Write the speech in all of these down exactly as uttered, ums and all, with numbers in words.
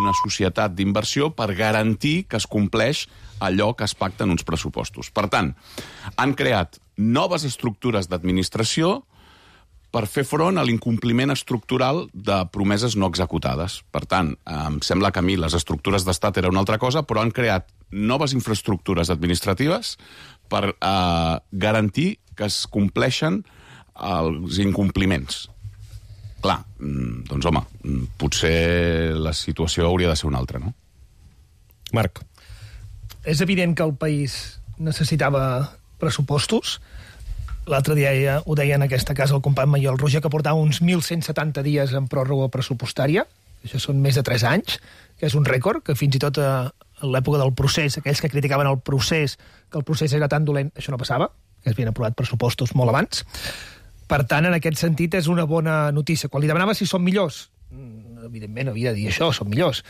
una societat d'inversió per garantir que es compleix allò que es pacta en uns pressupostos. Per tant, han creat noves estructures d'administració per fer front a l'incompliment estructural de promeses no executades. Per tant, em sembla que a mi les estructures d'estat era una altra cosa, però han creat noves infraestructures administratives per eh, garantir que es compleixen els incompliments. Clar, doncs home, potser la situació hauria de ser una altra, no? Marc. És evident que el país necessitava pressupostos. L'altre dia ja ho deia en aquesta casa el company Mayor, el Roger, que portava uns mil cent setanta dies en pròrroga pressupostària. Això són més de tres anys, que és un rècord, que fins i tot a l'època del procés, aquells que criticaven el procés, que el procés era tan dolent, això no passava, que es havien aprovat pressupostos molt abans. Per tant, en aquest sentit, és una bona notícia. Quan li demanava si són millors, evidentment havia de dir això, són millors.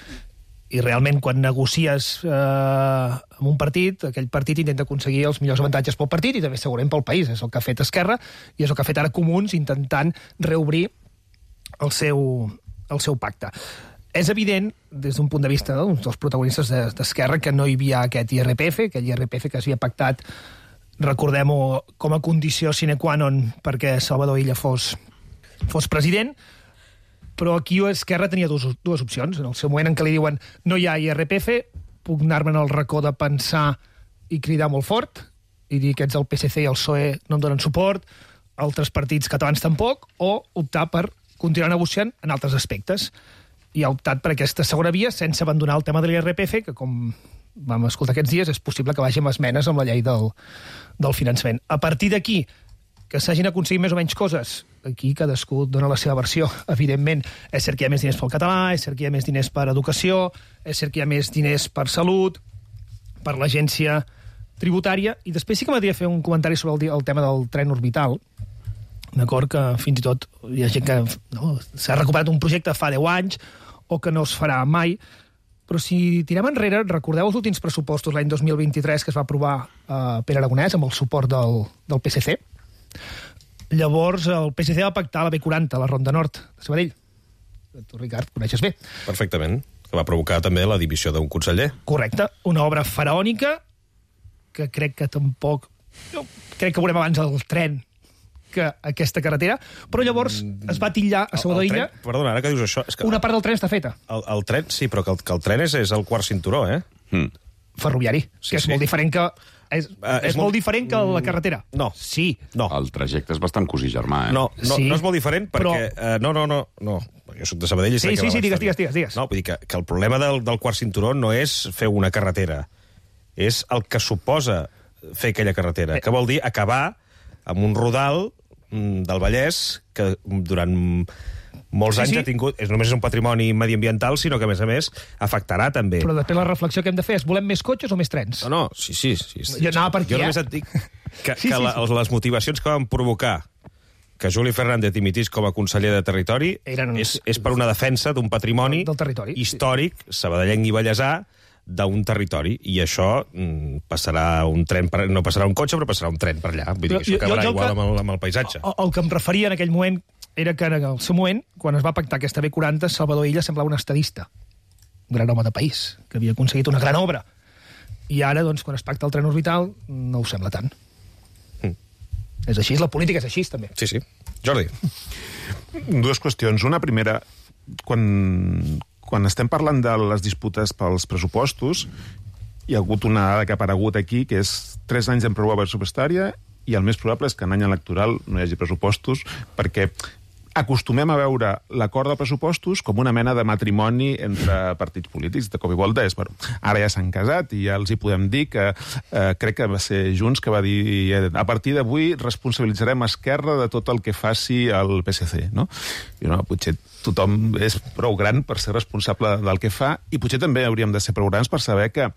I realment, quan negocies eh, amb un partit, aquell partit intenta aconseguir els millors avantatges pel partit i també segurament pel país. És el que ha fet Esquerra i és el que ha fet ara Comuns, intentant reobrir el seu, el seu pacte. És evident, des d'un punt de vista no, dels protagonistes d'Esquerra, que no hi havia aquest I R P F, aquell I R P F que s'havia pactat, recordem-ho, com a condició sine qua non perquè Salvador Illa fos, fos president, però aquí Esquerra tenia dues, dues opcions. En el seu moment en què li diuen no hi ha I R P F, puc anar-me en el racó de pensar i cridar molt fort i dir que ets el P S C i el P S O E no em donen suport, altres partits catalans tampoc, o optar per continuar negociant en altres aspectes. I ha optat per aquesta segona via sense abandonar el tema de l'I R P F, que com vam escoltar aquests dies és possible que vagi amb esmenes amb la llei del, del finançament. A partir d'aquí, que s'hagin aconseguit més o menys coses, aquí cadascú dona la seva versió, evidentment. És cert que hi ha més diners pel català, és cert que hi ha més diners per educació, és cert que hi ha més diners per salut, per l'agència tributària, i després sí que m'agradaria fer un comentari sobre el, el tema del tren orbital, d'acord, que fins i tot hi ha gent que no, s'ha recuperat un projecte fa deu anys o que no es farà mai, però si tirem enrere, recordeu els últims pressupostos l'any dos mil vint-i-tres que es va aprovar eh, Pere Aragonès amb el suport del, del P S C. Llavors el P S C va pactar la B quaranta, la Ronda Nord de Sabadell. Tu, Ricard, coneixes bé. Perfectament, que va provocar també la dimissió d'un conseller. Correcte, una obra faraònica que crec que tampoc... Jo crec que veurem abans el tren que aquesta carretera, però llavors es va titllar a Salvador Illa... Perdona, ara que dius això... És que una part del tren està feta. El, el tren, sí, però que el, que el tren és, és el quart cinturó, eh? Mm. Ferroviari, Sí, que és sí. molt diferent que... És, Uh, és és molt molt- diferent que la carretera. No. Sí. No. El trajecte és bastant cosí germà, eh? No, no, Sí, no és molt diferent perquè... però- Uh, no, no, no, no. Jo soc de Sabadell i sé Sí, que sí, va sí, baix digues, també. digues, digues, digues. No, vull dir que, que el problema del, del quart cinturó no és fer una carretera, és el que suposa fer aquella carretera, Eh. que vol dir acabar amb un rodal mm, del Vallès que durant molts Sí, anys sí. ha tingut... És, només és un patrimoni mediambiental, sinó que, a més a més, afectarà també. Però després la reflexió que hem de fer és volem més cotxes o més trens? No, no, sí, sí. sí, sí. Jo anava per aquí, Jo eh? només et dic que, Sí, que sí, la, sí. les motivacions que van provocar que Juli Fernández dimitís com a conseller de Territori Eren- és, és per una defensa d'un patrimoni Del territori, sí. històric, sabadellenc i ballesà, d'un territori, i això mm, passarà un tren, per, no passarà un cotxe, però passarà un tren per allà. Vull dir Però que això jo- acabarà jo el igual que- amb el, amb el paisatge. El, el que em referia en aquell moment era que en el seu moment, quan es va pactar aquesta B quaranta, Salvador Illa semblava un estadista, un gran home de país, que havia aconseguit una gran obra. I ara, doncs, quan es pacta el tren orbital, no ho sembla tant. Mm. És així, la política és així, també. Sí, sí. Jordi. Dues qüestions. Una primera, quan, quan estem parlant de les disputes pels pressupostos, hi ha hagut una dada que ha aparegut aquí, que és tres anys en pròrroga pressupostària, i el més probable és que en any electoral no hi hagi pressupostos, perquè acostumem a veure l'acord de pressupostos com una mena de matrimoni entre partits polítics. De cop i volta és, bueno, ara ja s'han casat i ja els hi podem dir que eh, crec que va ser Junts que va dir eh, a partir d'avui responsabilitzarem Esquerra de tot el que faci el P S C, no? I no, potser tothom és prou gran per ser responsable del que fa, i potser també hauríem de ser prou grans per saber que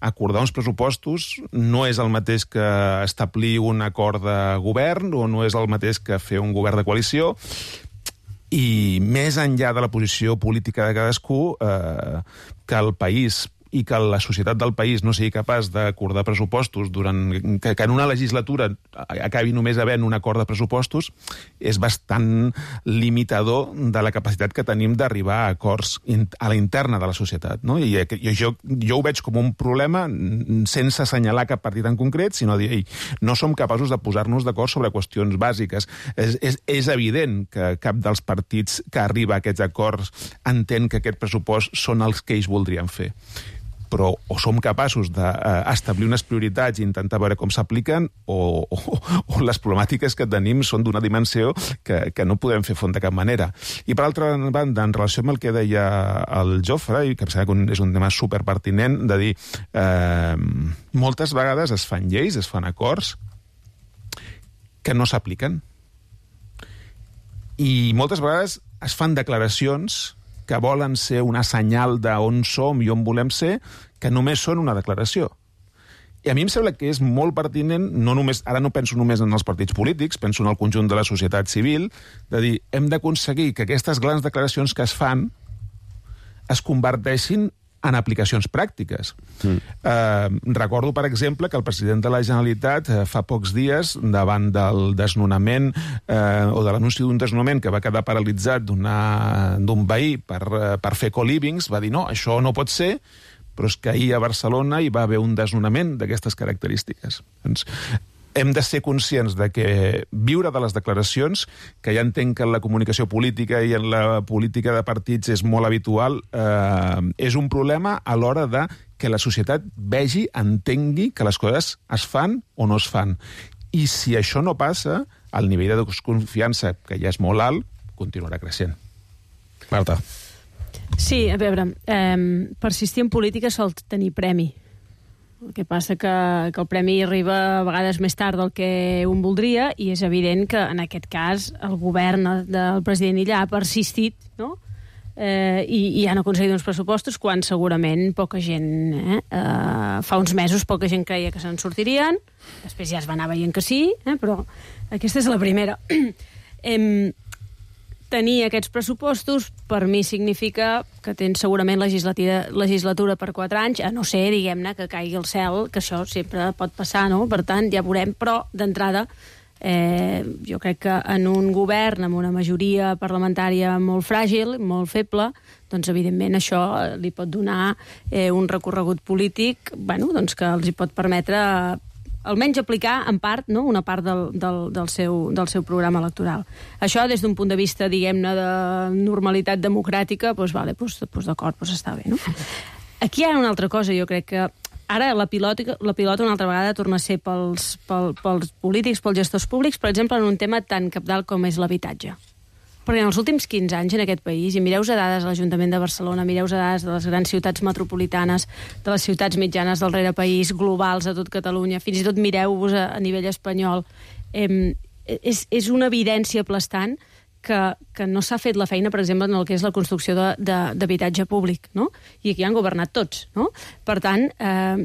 acordar uns pressupostos no és el mateix que establir un acord de govern o no és el mateix que fer un govern de coalició. I més enllà de la posició política de cadascú, eh, que el país i que la societat del país no sigui capaç d'acordar pressupostos durant... que, que en una legislatura acabi només havent un acord de pressupostos és bastant limitador de la capacitat que tenim d'arribar a acords a la interna de la societat, no? I jo, jo ho veig com un problema sense assenyalar cap partit en concret, sinó dir, ei, no som capaços de posar-nos d'acord sobre qüestions bàsiques. És, és, és evident que cap dels partits que arriba a aquests acords entén que aquest pressupost són els que ells voldrien fer. Però o som capaços d'establir unes prioritats i intentar veure com s'apliquen, o, o, o les problemàtiques que tenim són d'una dimensió que, que no podem fer front de cap manera. I per altra banda, en relació amb el que deia el Jofre, i que em sembla que és un tema superpertinent, de dir, eh, moltes vegades es fan lleis, es fan acords que no s'apliquen. I moltes vegades es fan declaracions que volen ser una senyal d'on som i on volem ser, que només són una declaració. I a mi em sembla que és molt pertinent, no només, ara no penso només en els partits polítics, penso en el conjunt de la societat civil, de dir, hem d'aconseguir que aquestes grans declaracions que es fan es converteixin en aplicacions pràctiques. Mm. Eh, recordo, per exemple, que el president de la Generalitat eh, fa pocs dies, davant del desnonament eh, o de l'anunci d'un desnonament que va quedar paralitzat d'un veí per, eh, per fer co-livings, va dir, no, això no pot ser, però és que ahir a Barcelona hi va haver un desnonament d'aquestes característiques. Doncs, hem de ser conscients de que viure de les declaracions, que ja entenc que en la comunicació política i en la política de partits és molt habitual, eh, és un problema a l'hora de que la societat vegi, entengui que les coses es fan o no es fan. I si això no passa, el nivell de desconfiança, que ja és molt alt, continuarà creixent. Marta. Sí, a veure, eh, persistir en política sol tenir premi. El que passa que, que el premi arriba a vegades més tard del que un voldria, i és evident que en aquest cas el govern del president Illa ha persistit, no? eh, i, i han aconseguit uns pressupostos quan segurament poca gent, eh, eh, fa uns mesos poca gent creia que se'n sortirien, després ja es va anar veient que sí, eh, però aquesta és la primera. eh, Tenir aquests pressupostos per mi significa que tens segurament legislatura per quatre anys, a no ser, diguem-ne, que caigui el cel, que això sempre pot passar, no? Per tant, ja veurem, però d'entrada eh, jo crec que en un govern amb una majoria parlamentària molt fràgil, molt feble, doncs evidentment això li pot donar eh, un recorregut polític, bueno, doncs que els hi pot permetre almenys aplicar, en part, no? una part del, del, del, seu, del seu programa electoral. Això, des d'un punt de vista, diguem-ne, de normalitat democràtica, doncs, vale, doncs, doncs d'acord, doncs està bé, no? Aquí hi ha una altra cosa, jo crec que ara la pilota, la pilota una altra vegada torna a ser pels, pel, pels polítics, pels gestors públics, per exemple, en un tema tan cabdal com és l'habitatge. Perquè en els últims quinze anys en aquest país, i mireu a dades de l'Ajuntament de Barcelona, mireu a dades de les grans ciutats metropolitanes, de les ciutats mitjanes del rerepaís, globals a tot Catalunya, fins i tot mireu-vos a, a nivell espanyol, eh, és, és una evidència aplastant que, que no s'ha fet la feina, per exemple, en el que és la construcció d'habitatge públic, no? I aquí han governat tots, no? Per tant, eh,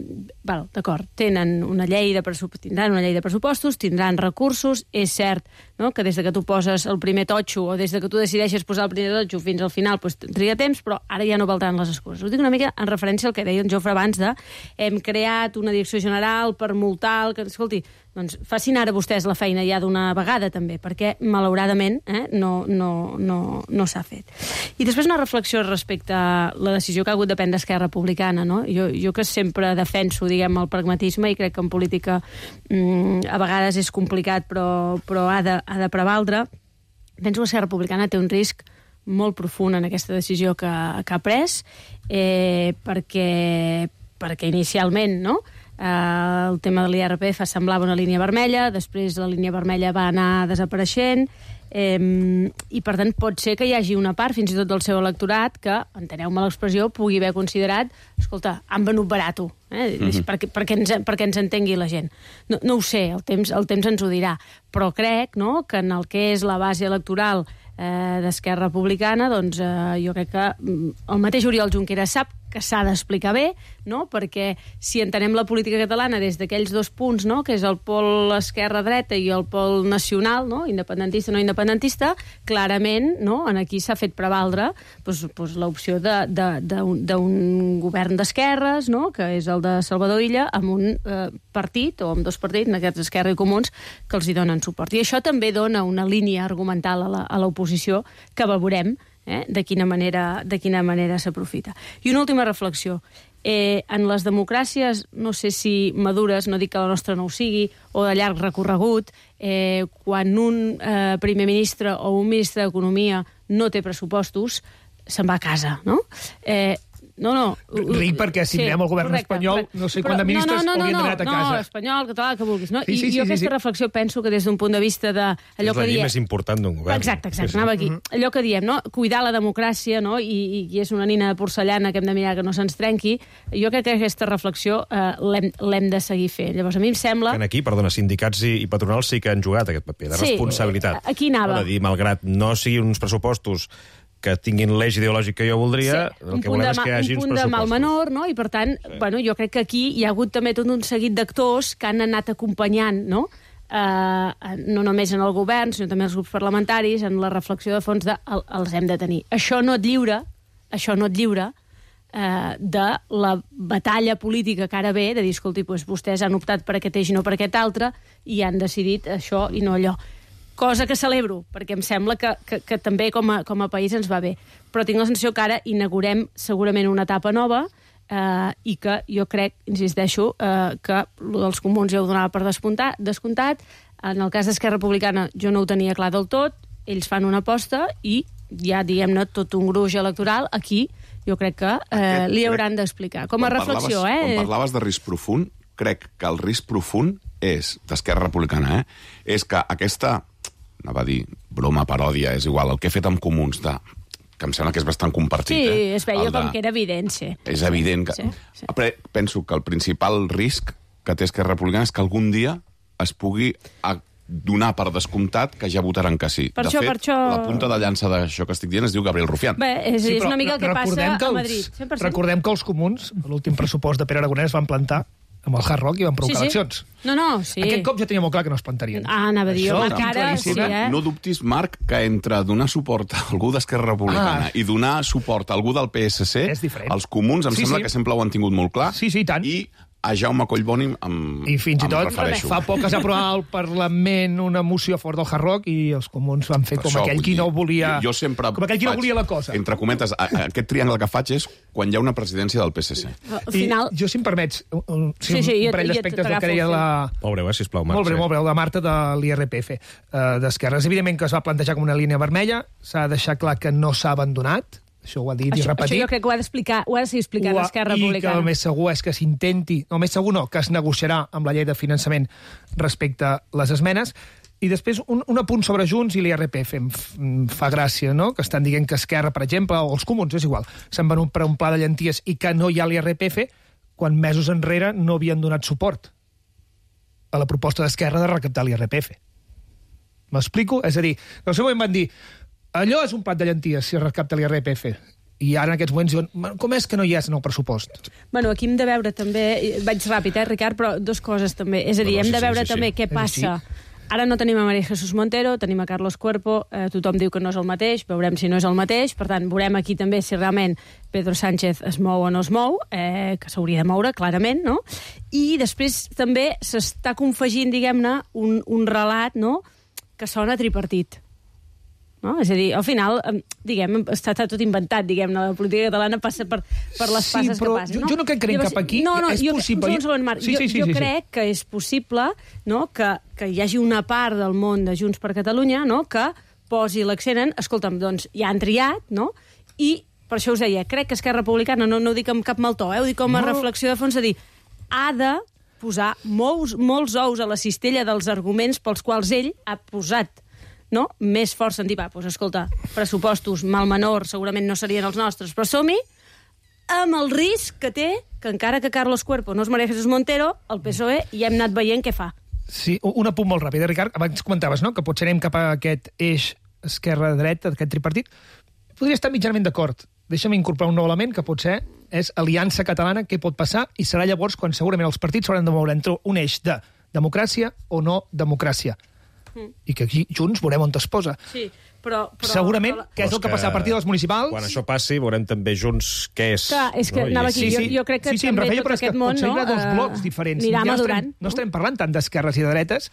val, d'acord, tenen una llei de tindran una llei de pressupostos, tindran recursos, és cert, no?, que des de que tu poses el primer totxo o des de que tu decideixes posar el primer totxo fins al final doncs, triga temps, però ara ja no valdran les excuses. Ho dic una mica en referència al que deia en Jofre abans de hem creat una direcció general per multar el que... Escolti, doncs facin ara vostès la feina ja d'una vegada també, perquè malauradament eh, no, no, no, no s'ha fet. I després una reflexió respecte a la decisió que ha hagut de prendre Esquerra Republicana, no? Jo, jo que sempre defenso, diguem, el pragmatisme, i crec que en política mmm, a vegades és complicat, però, però ha de, ha de prevaldre, penso que Esquerra Republicana té un risc molt profund en aquesta decisió que, que ha pres, eh, perquè, perquè inicialment, no?, Uh, el tema de l'I R P F semblava una línia vermella, després la línia vermella va anar desapareixent, eh, i per tant pot ser que hi hagi una part, fins i tot del seu electorat, que, enteneu-me l'expressió, pugui haver considerat, escolta, han venut barato, eh? Mm-hmm. perquè, perquè, ens, perquè ens entengui la gent. No, no ho sé, el temps, el temps ens ho dirà, però crec, no?, que en el que és la base electoral eh, d'Esquerra Republicana, doncs eh, jo crec que el mateix Oriol Junqueras sap que s'ha d'explicar bé, no? Perquè si entenem la política catalana des d'aquells dos punts, no? Que és el pol esquerra-dreta i el pol nacional, no? Independentista, no independentista, clarament, no? En aquí s'ha fet prevaldre doncs, doncs, l'opció d'un govern d'esquerres, no? Que és el de Salvador Illa, amb un eh, partit, o amb dos partits, en aquests Esquerra i Comuns, que els hi donen suport. I això també dona una línia argumental a l'oposició que veurem Eh, de quina manera, de quina manera s'aprofita. I una última reflexió. Eh, en les democràcies, no sé si madures, no dic que la nostra no ho sigui, o de llarg recorregut, eh, quan un eh, primer ministre o un ministre d'Economia no té pressupostos, se'n va a casa, no? Eh, No, no. Ric perquè si sí, mirem el govern correcte, espanyol, correcte. no sé quants de ministres no, no, no, haurien d'anar a casa. No, espanyol, català, el que vulguis. No? Sí, sí, I sí, jo sí, aquesta sí. reflexió penso que des d'un punt de vista de... Allò és la que llei diem... més important d'un govern. Exacte, exacte, sí, sí. anava aquí. Mm-hmm. Allò que diem, no? Cuidar la democràcia, no? I, i és una nina de porcellana que hem de mirar que no se'ns trenqui. Jo crec que aquesta reflexió eh, l'hem de seguir fent. Llavors, a mi em sembla... En aquí, perdona, sindicats i, i patronals sí que han jugat aquest paper de sí, responsabilitat. Aquí anava. No, de dir, malgrat no siguin uns pressupostos que tinguin l'eix ideològic que jo voldria, sí, el que volem és que hi hagi uns pressupostos. Un punt de mal menor, no? I per tant, sí. bueno, jo crec que aquí hi ha hagut també tot un seguit d'actors que han anat acompanyant, no? Uh, no només en el govern, sinó també els grups parlamentaris, en la reflexió de fons de el, els hem de tenir. Això no et lliura, això no et lliura uh, de la batalla política que ara ve, de dir, escolti, doncs vostès han optat per aquest eix i no per aquest altre, i han decidit això i no allò. Cosa que celebro, perquè em sembla que, que, que també com a, com a país ens va bé. Però tinc la sensació que ara inaugurem segurament una etapa nova eh, i que jo crec, insisteixo, eh, que els comuns ja ho donava per descomptat. En el cas d'Esquerra Republicana jo no ho tenia clar del tot, ells fan una aposta i ja, diguem-ne, tot un gruix electoral aquí jo crec que eh, Aquest, li hauran d'explicar. Com a reflexió, parlaves, eh? Quan parlaves de risc profund, crec que el risc profund és, d'Esquerra Republicana, eh, és que aquesta... anava a dir, broma, paròdia, és igual, el que he fet amb comuns, de, que em sembla que és bastant compartit. Sí, eh? es veia de, com que era evident, sí. És evident que... Sí, sí. Però penso que el principal risc que té Esquerra Republicana és que algun dia es pugui donar per descomptat que ja votaran que sí. Per de això, fet, per això... la punta de llança d'això que estic dient es diu Gabriel Rufián. Bé, és, sí, és una mica el que passa que els, a Madrid. cent per cent. Recordem que els comuns, l'últim pressupost de Pere Aragonès, van plantar amb el Hard Rock i van provocar sí, sí. eleccions. No, no, sí. Aquest cop ja tenia molt clar que no es plantarien. Ah, anava a dir, home, que ara... Sí, eh? No dubtis, Marc, que entre donar suport a algú d'Esquerra Republicana ah. i donar suport a algú del P S C, els comuns em sí, sembla sí. que sempre ho han tingut molt clar. Sí, sí, tant. I a Jaume Collboni em, I fins i tot refereixo. Fa poc es va aprovar al Parlament una moció a favor del Hard Rock i els comuns van fer com això, aquell qui no volia... Jo, jo sempre com aquell qui no volia la cosa. Entre cometes, a, a, aquest triangle que faig és quan hi ha una presidència del P S C. Al final... I jo, si em permets, un, un, sí, sí, sí, un parell d'aspectes del que deia la... Molt breu, eh, sisplau, Marc. Molt breu, molt breu, la Marta de l'I R P F uh, d'Esquerres. Evidentment que es va plantejar com una línia vermella, s'ha de deixar clar que no s'ha abandonat, això ho ha dit això, i repetit. Això jo crec que ho ha d'explicar, ho ha de seguir explicant Esquerra Republicana. I que el més segur és que s'intenti, no, el més segur no, que es negociarà amb la llei de finançament respecte a les esmenes. I després un, un apunt sobre Junts i l'I R P F. Em, f, em fa gràcia, no?, que estan dient que Esquerra, per exemple, o els comuns, és igual, s'han venut per un pla de llenties i que no hi ha l'I R P F quan mesos enrere no havien donat suport a la proposta d'Esquerra de recaptar l'I R P F. M'explico? És a dir, en el seu moment van dir allò és un plat de llenties si es recapta l'I R P F. I ara en aquests moments diuen, com és que no hi és en el pressupost? Bueno, aquí hem de veure també, vaig ràpid, eh, Ricard, però dues coses també. És a dir, no, no, hem de veure sí, sí, també sí. què passa. Ara no tenim a María Jesús Montero, tenim a Carlos Cuerpo, eh, tothom diu que no és el mateix, veurem si no és el mateix, per tant, veurem aquí també si realment Pedro Sánchez es mou o no es mou, eh, que s'hauria de moure, clarament, no? I després també s'està confegint, diguem-ne, un, un relat, no?, que sona tripartit. No? És a dir, al final, diguem, està tot inventat, diguem-ne, la política catalana passa per, per les sí, passes que passen. Jo, no? jo no crec que anem cap aquí, no, no, és jo, possible... Un segon, Marc, sí, sí, sí, jo, jo sí, crec sí. que és possible, no?, que, que hi hagi una part del món de Junts per Catalunya, no?, que posi l'accent en, escolta'm, doncs, ja han triat, no?, i per això us deia, crec que Esquerra Republicana, no, no ho dic amb cap mal to, eh, ho dic com a no. reflexió de fons, a dir, ha de posar molts, molts ous a la cistella dels arguments pels quals ell ha posat no? més fort sentir, va, doncs escolta, pressupostos mal menor segurament no serien els nostres, però som-hi amb el risc que té que encara que Carlos Cuerpo no es María Jesús Montero, el P S O E ja hem anat veient què fa. Sí, un apunt molt ràpid, Ricard. Abans comentaves, no?, que potser anem cap a aquest eix esquerra-dreta, d'aquest tripartit. Podria estar mitjanament d'acord. Deixa'm incorporar un nou element que potser és Aliança Catalana, què pot passar, i serà llavors quan segurament els partits s'hauran de moure entre un eix de democràcia o no democràcia. Mm. I que aquí Junts veurem on es posa. Sí, però... però segurament, però... que és el que, que passarà a partir dels municipals... Quan això passi, veurem també Junts què és. Clar, és que no? anava aquí. Sí, sí. Jo, jo crec que sí, sí, també referia, tot aquest món... Potser hi no, ha dos uh, blocs diferents. anirà ja madurant. No estarem parlant tant d'esquerres i de dretes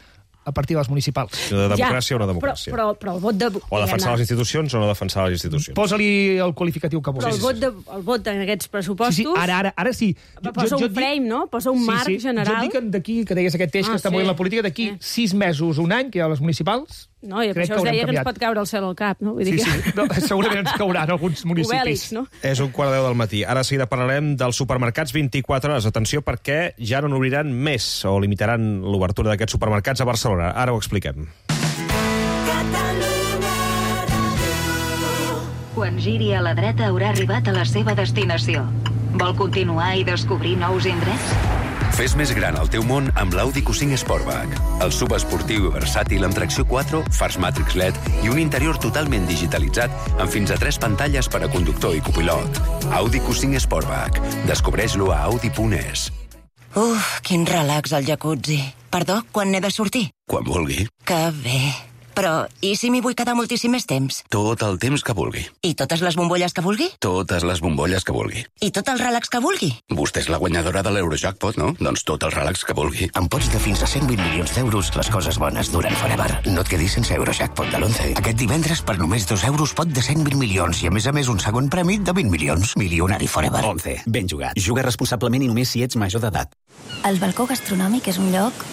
a partir dels municipals. De democràcia ja, o no democràcia. Però, però, però el vot de... O defensar les institucions o no defensar les institucions. Posa-li el qualificatiu que vulguis. Però el vot, de, el vot en aquests pressupostos... Sí, sí, ara, ara, ara sí. Jo, posa jo, un frame, dic... no? Posa un sí, marc sí. general. Jo dic d'aquí, que deies aquest eix ah, que està sí. movent la política, d'aquí eh. sis mesos, un any, que hi ha les municipals... No, i per això us deia que ens pot caure el cel al cap, no? Vull dir sí, que... sí. No, segurament ens cauran alguns municipis. Obèlics, no? És un quart de deu del matí. Ara seguida parlarem dels supermercats vint-i-quatre hores. Atenció, perquè ja no n'obriran més o limitaran l'obertura d'aquests supermercats a Barcelona. Ara ho expliquem. Quan giri a la dreta haurà arribat a la seva destinació. Vol continuar i descobrir nous indrets? Fes més gran el teu món amb l'Audi Q cinc Sportback. El subesportiu i versàtil amb tracció quatre, fars Matrix L E D i un interior totalment digitalitzat amb fins a tres pantalles per a conductor i copilot. Audi Q cinc Sportback. Descobreix-lo a audi punt es. Uf, quin relax al jacuzzi. Perdó, quan n'he de sortir? Quan vulgui. Que bé. Però, i si m'hi vull quedar moltíssim més temps? Tot el temps que vulgui. I totes les bombolles que vulgui? Totes les bombolles que vulgui. I tot el relax que vulgui? Vostè és la guanyadora de l'Eurojackpot, no? Doncs tot el relax que vulgui. Amb pots de fins a cent vint milions d'euros, les coses bones duren forever. No et quedis sense Eurojackpot de l'onze. Aquest divendres, per només dos euros, pot de cent vint milions i, a més a més, un segon premi de vint milions. Milionari forever. onze. Ben jugat. Juga responsablement i només si ets major d'edat. El balcó gastronòmic és un lloc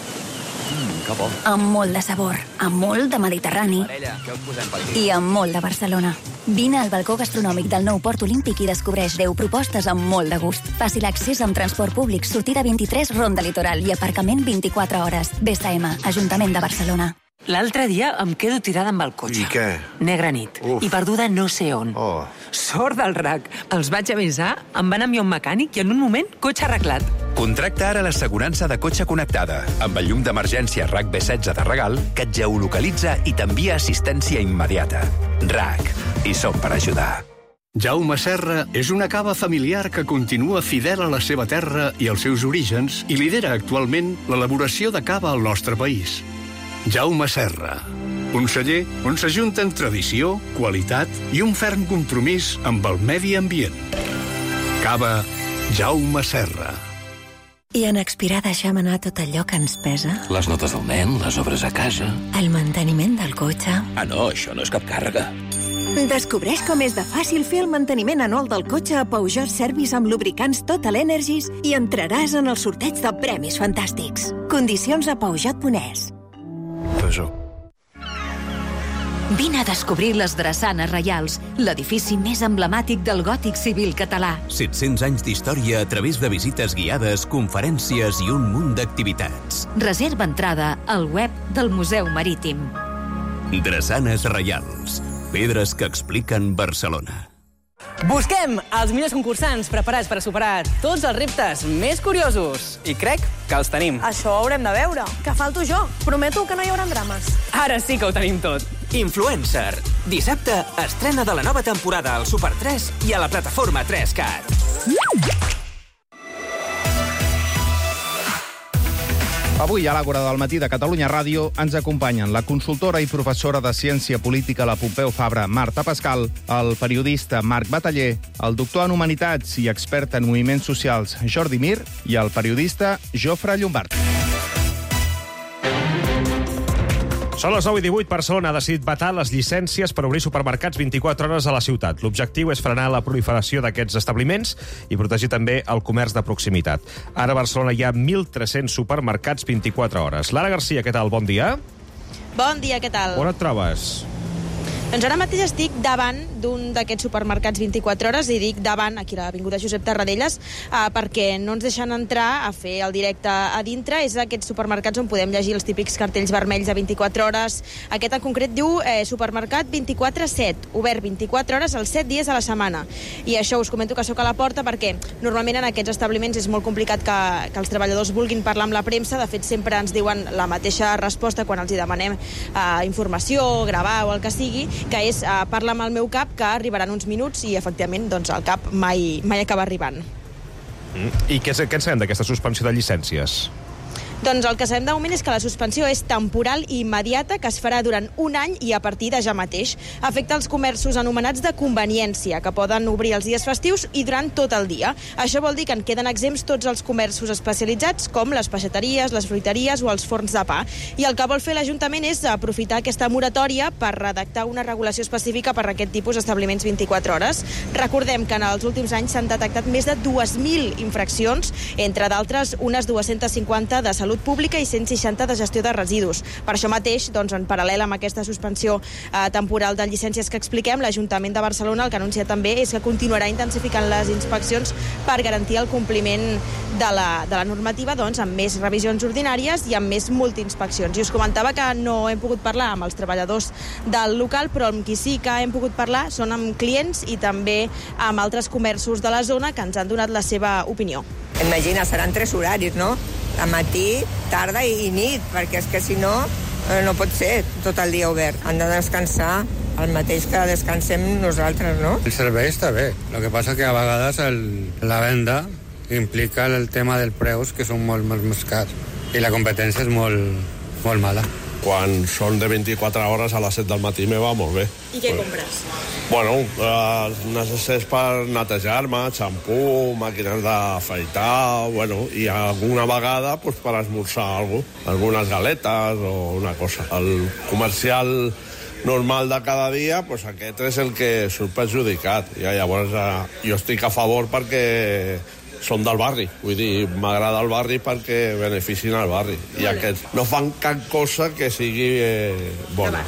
Mm, que bo. amb molt de sabor, amb molt de Mediterrani Parella, què us posem per aquí? i amb molt de Barcelona. Vine al balcó gastronòmic del nou Port Olímpic i descobreix deu propostes amb molt de gust. Fàcil accés amb transport públic, sortida vint-i-tres, Ronda Litoral i aparcament vint-i-quatre hores. B S M, Ajuntament de Barcelona. L'altre dia em quedo tirada amb el cotxe. I què? Negra nit. Uf. I perduda no sé on. Oh. Sort del R A C. Els vaig avisar, em van enviar un mecànic i en un moment, cotxe arreglat. Contracta ara l'assegurança de cotxe connectada amb el llum d'emergència R A C B setze de regal que et geolocalitza i t'envia assistència immediata. R A C. I som per ajudar. Jaume Serra és una cava familiar que continua fidel a la seva terra i als seus orígens i lidera actualment l'elaboració de cava al nostre país. Jaume Serra, un celler on s'ajunten tradició, qualitat i un ferm compromís amb el medi ambient. Cava Jaume Serra. I en expirar deixem anar tot allò que ens pesa? Les notes del nen, les obres a casa... El manteniment del cotxe... Ah, no, això no és cap càrrega. Descobreix com és de fàcil fer el manteniment anual del cotxe a Peugeot Service amb lubricants Total Energies i entraràs en el sorteig de premis fantàstics. Condicions a peugeot punt es. Peugeot. Vine a descobrir les Drassanes Reials, l'edifici més emblemàtic del gòtic civil català. set-cents anys d'història a través de visites guiades, conferències i un munt d'activitats. Reserva entrada al web del Museu Marítim. Drassanes Reials, pedres que expliquen Barcelona. Busquem els millors concursants preparats per a superar tots els reptes més curiosos. I crec que els tenim. Això ho haurem de veure. Que falto jo. Prometo que no hi haurà drames. Ara sí que ho tenim tot. Influencer. Dissabte estrena de la nova temporada al Super tres i a la plataforma tres cat. Avui, a l'Àgora del matí de Catalunya Ràdio, ens acompanyen la consultora i professora de Ciència Política a la Pompeu Fabra, Marta Pascal, el periodista Marc Bataller, el doctor en Humanitats i expert en moviments socials Jordi Mir i el periodista Jofre Llombard. Són les nou i divuit. Barcelona ha decidit vetar les llicències per obrir supermercats vint-i-quatre hores a la ciutat. L'objectiu és frenar la proliferació d'aquests establiments i protegir també el comerç de proximitat. Ara a Barcelona hi ha mil tres-cents supermercats vint-i-quatre hores. Lara Garcia, què tal? Bon dia. Bon dia, què tal? On et trobes? Doncs ara mateix estic davant d'un d'aquests supermercats vint-i-quatre hores, i dic davant, aquí a l'avinguda Josep Tarradellas, eh, perquè no ens deixen entrar a fer el directe a dintre. És aquests supermercats on podem llegir els típics cartells vermells de vint-i-quatre hores. Aquest en concret diu eh, supermercat vint-i-quatre set, obert vint-i-quatre hores els set dies a la setmana. I això us comento que sóc a la porta perquè normalment en aquests establiments és molt complicat que, que els treballadors vulguin parlar amb la premsa. De fet, sempre ens diuen la mateixa resposta quan els hi demanem eh, informació, gravar o el que sigui, que és uh, parlar amb el meu cap, que arribaran uns minuts i, efectivament, doncs, el cap mai, mai acaba arribant. Mm. I què, què en sabem d'aquesta suspensió de llicències? Doncs el que sabem de moment és que la suspensió és temporal i immediata, que es farà durant un any i a partir de ja mateix. Afecta els comerços anomenats de conveniència, que poden obrir els dies festius i durant tot el dia. Això vol dir que en queden exempts tots els comerços especialitzats, com les peixateries, les fruiteries o els forns de pa. I el que vol fer l'Ajuntament és aprofitar aquesta moratòria per redactar una regulació específica per a aquest tipus d'establiments vint-i-quatre hores. Recordem que en els últims anys s'han detectat més de dues mil infraccions, entre d'altres unes dues-centes cinquanta de salut pública i cent seixanta de gestió de residus. Per això mateix, doncs, en paral·lel amb aquesta suspensió eh, temporal de llicències que expliquem, l'Ajuntament de Barcelona el que anuncia també és que continuarà intensificant les inspeccions per garantir el compliment de la, de la normativa, doncs, amb més revisions ordinàries i amb més multiinspeccions. I us comentava que no hem pogut parlar amb els treballadors del local, però amb qui sí que hem pogut parlar són amb clients i també amb altres comerços de la zona que ens han donat la seva opinió. Imagina, seran tres horaris, no? De matí, tarda i nit, perquè és que si no, no pot ser tot el dia obert. Han de descansar el mateix que descansem nosaltres, no? El servei està bé, el que passa que a vegades el, la venda implica el tema dels preus, que són molt, molt més cars, i la competència és molt, molt mala. Quan són de vint-i-quatre hores a les set del matí me va molt bé. I què compres? Bueno, eh, necessitats per netejar-me, xampú, màquines d'afaitar, bueno, i alguna vegada pues, per esmorzar alguna cosa, algunes galetes o una cosa. El comercial normal de cada dia, pues aquest és el que surt perjudicat. I llavors eh, jo estic a favor perquè són del barri, vull dir, m'agrada el barri perquè beneficien el barri. I aquests no fan cap cosa que sigui eh, bona.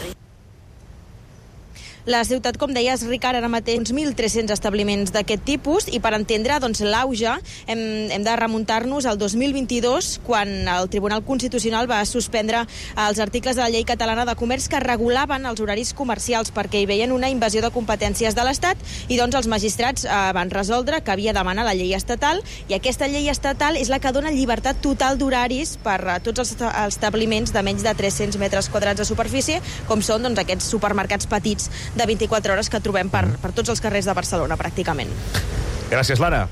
La ciutat, com deies, Ricard, ara mateix uns mil tres-cents establiments d'aquest tipus i per entendre doncs, l'auge hem, hem de remuntar-nos al dos mil vint-i-dos quan el Tribunal Constitucional va suspendre els articles de la Llei Catalana de Comerç que regulaven els horaris comercials perquè hi veien una invasió de competències de l'Estat i doncs els magistrats eh, van resoldre que havia de demanar la llei estatal i aquesta llei estatal és la que dona llibertat total d'horaris per a tots els establiments de menys de tres-cents metres quadrats de superfície, com són doncs, aquests supermercats petits de vint-i-quatre hores que trobem per, per tots els carrers de Barcelona, pràcticament. Gràcies, Lara.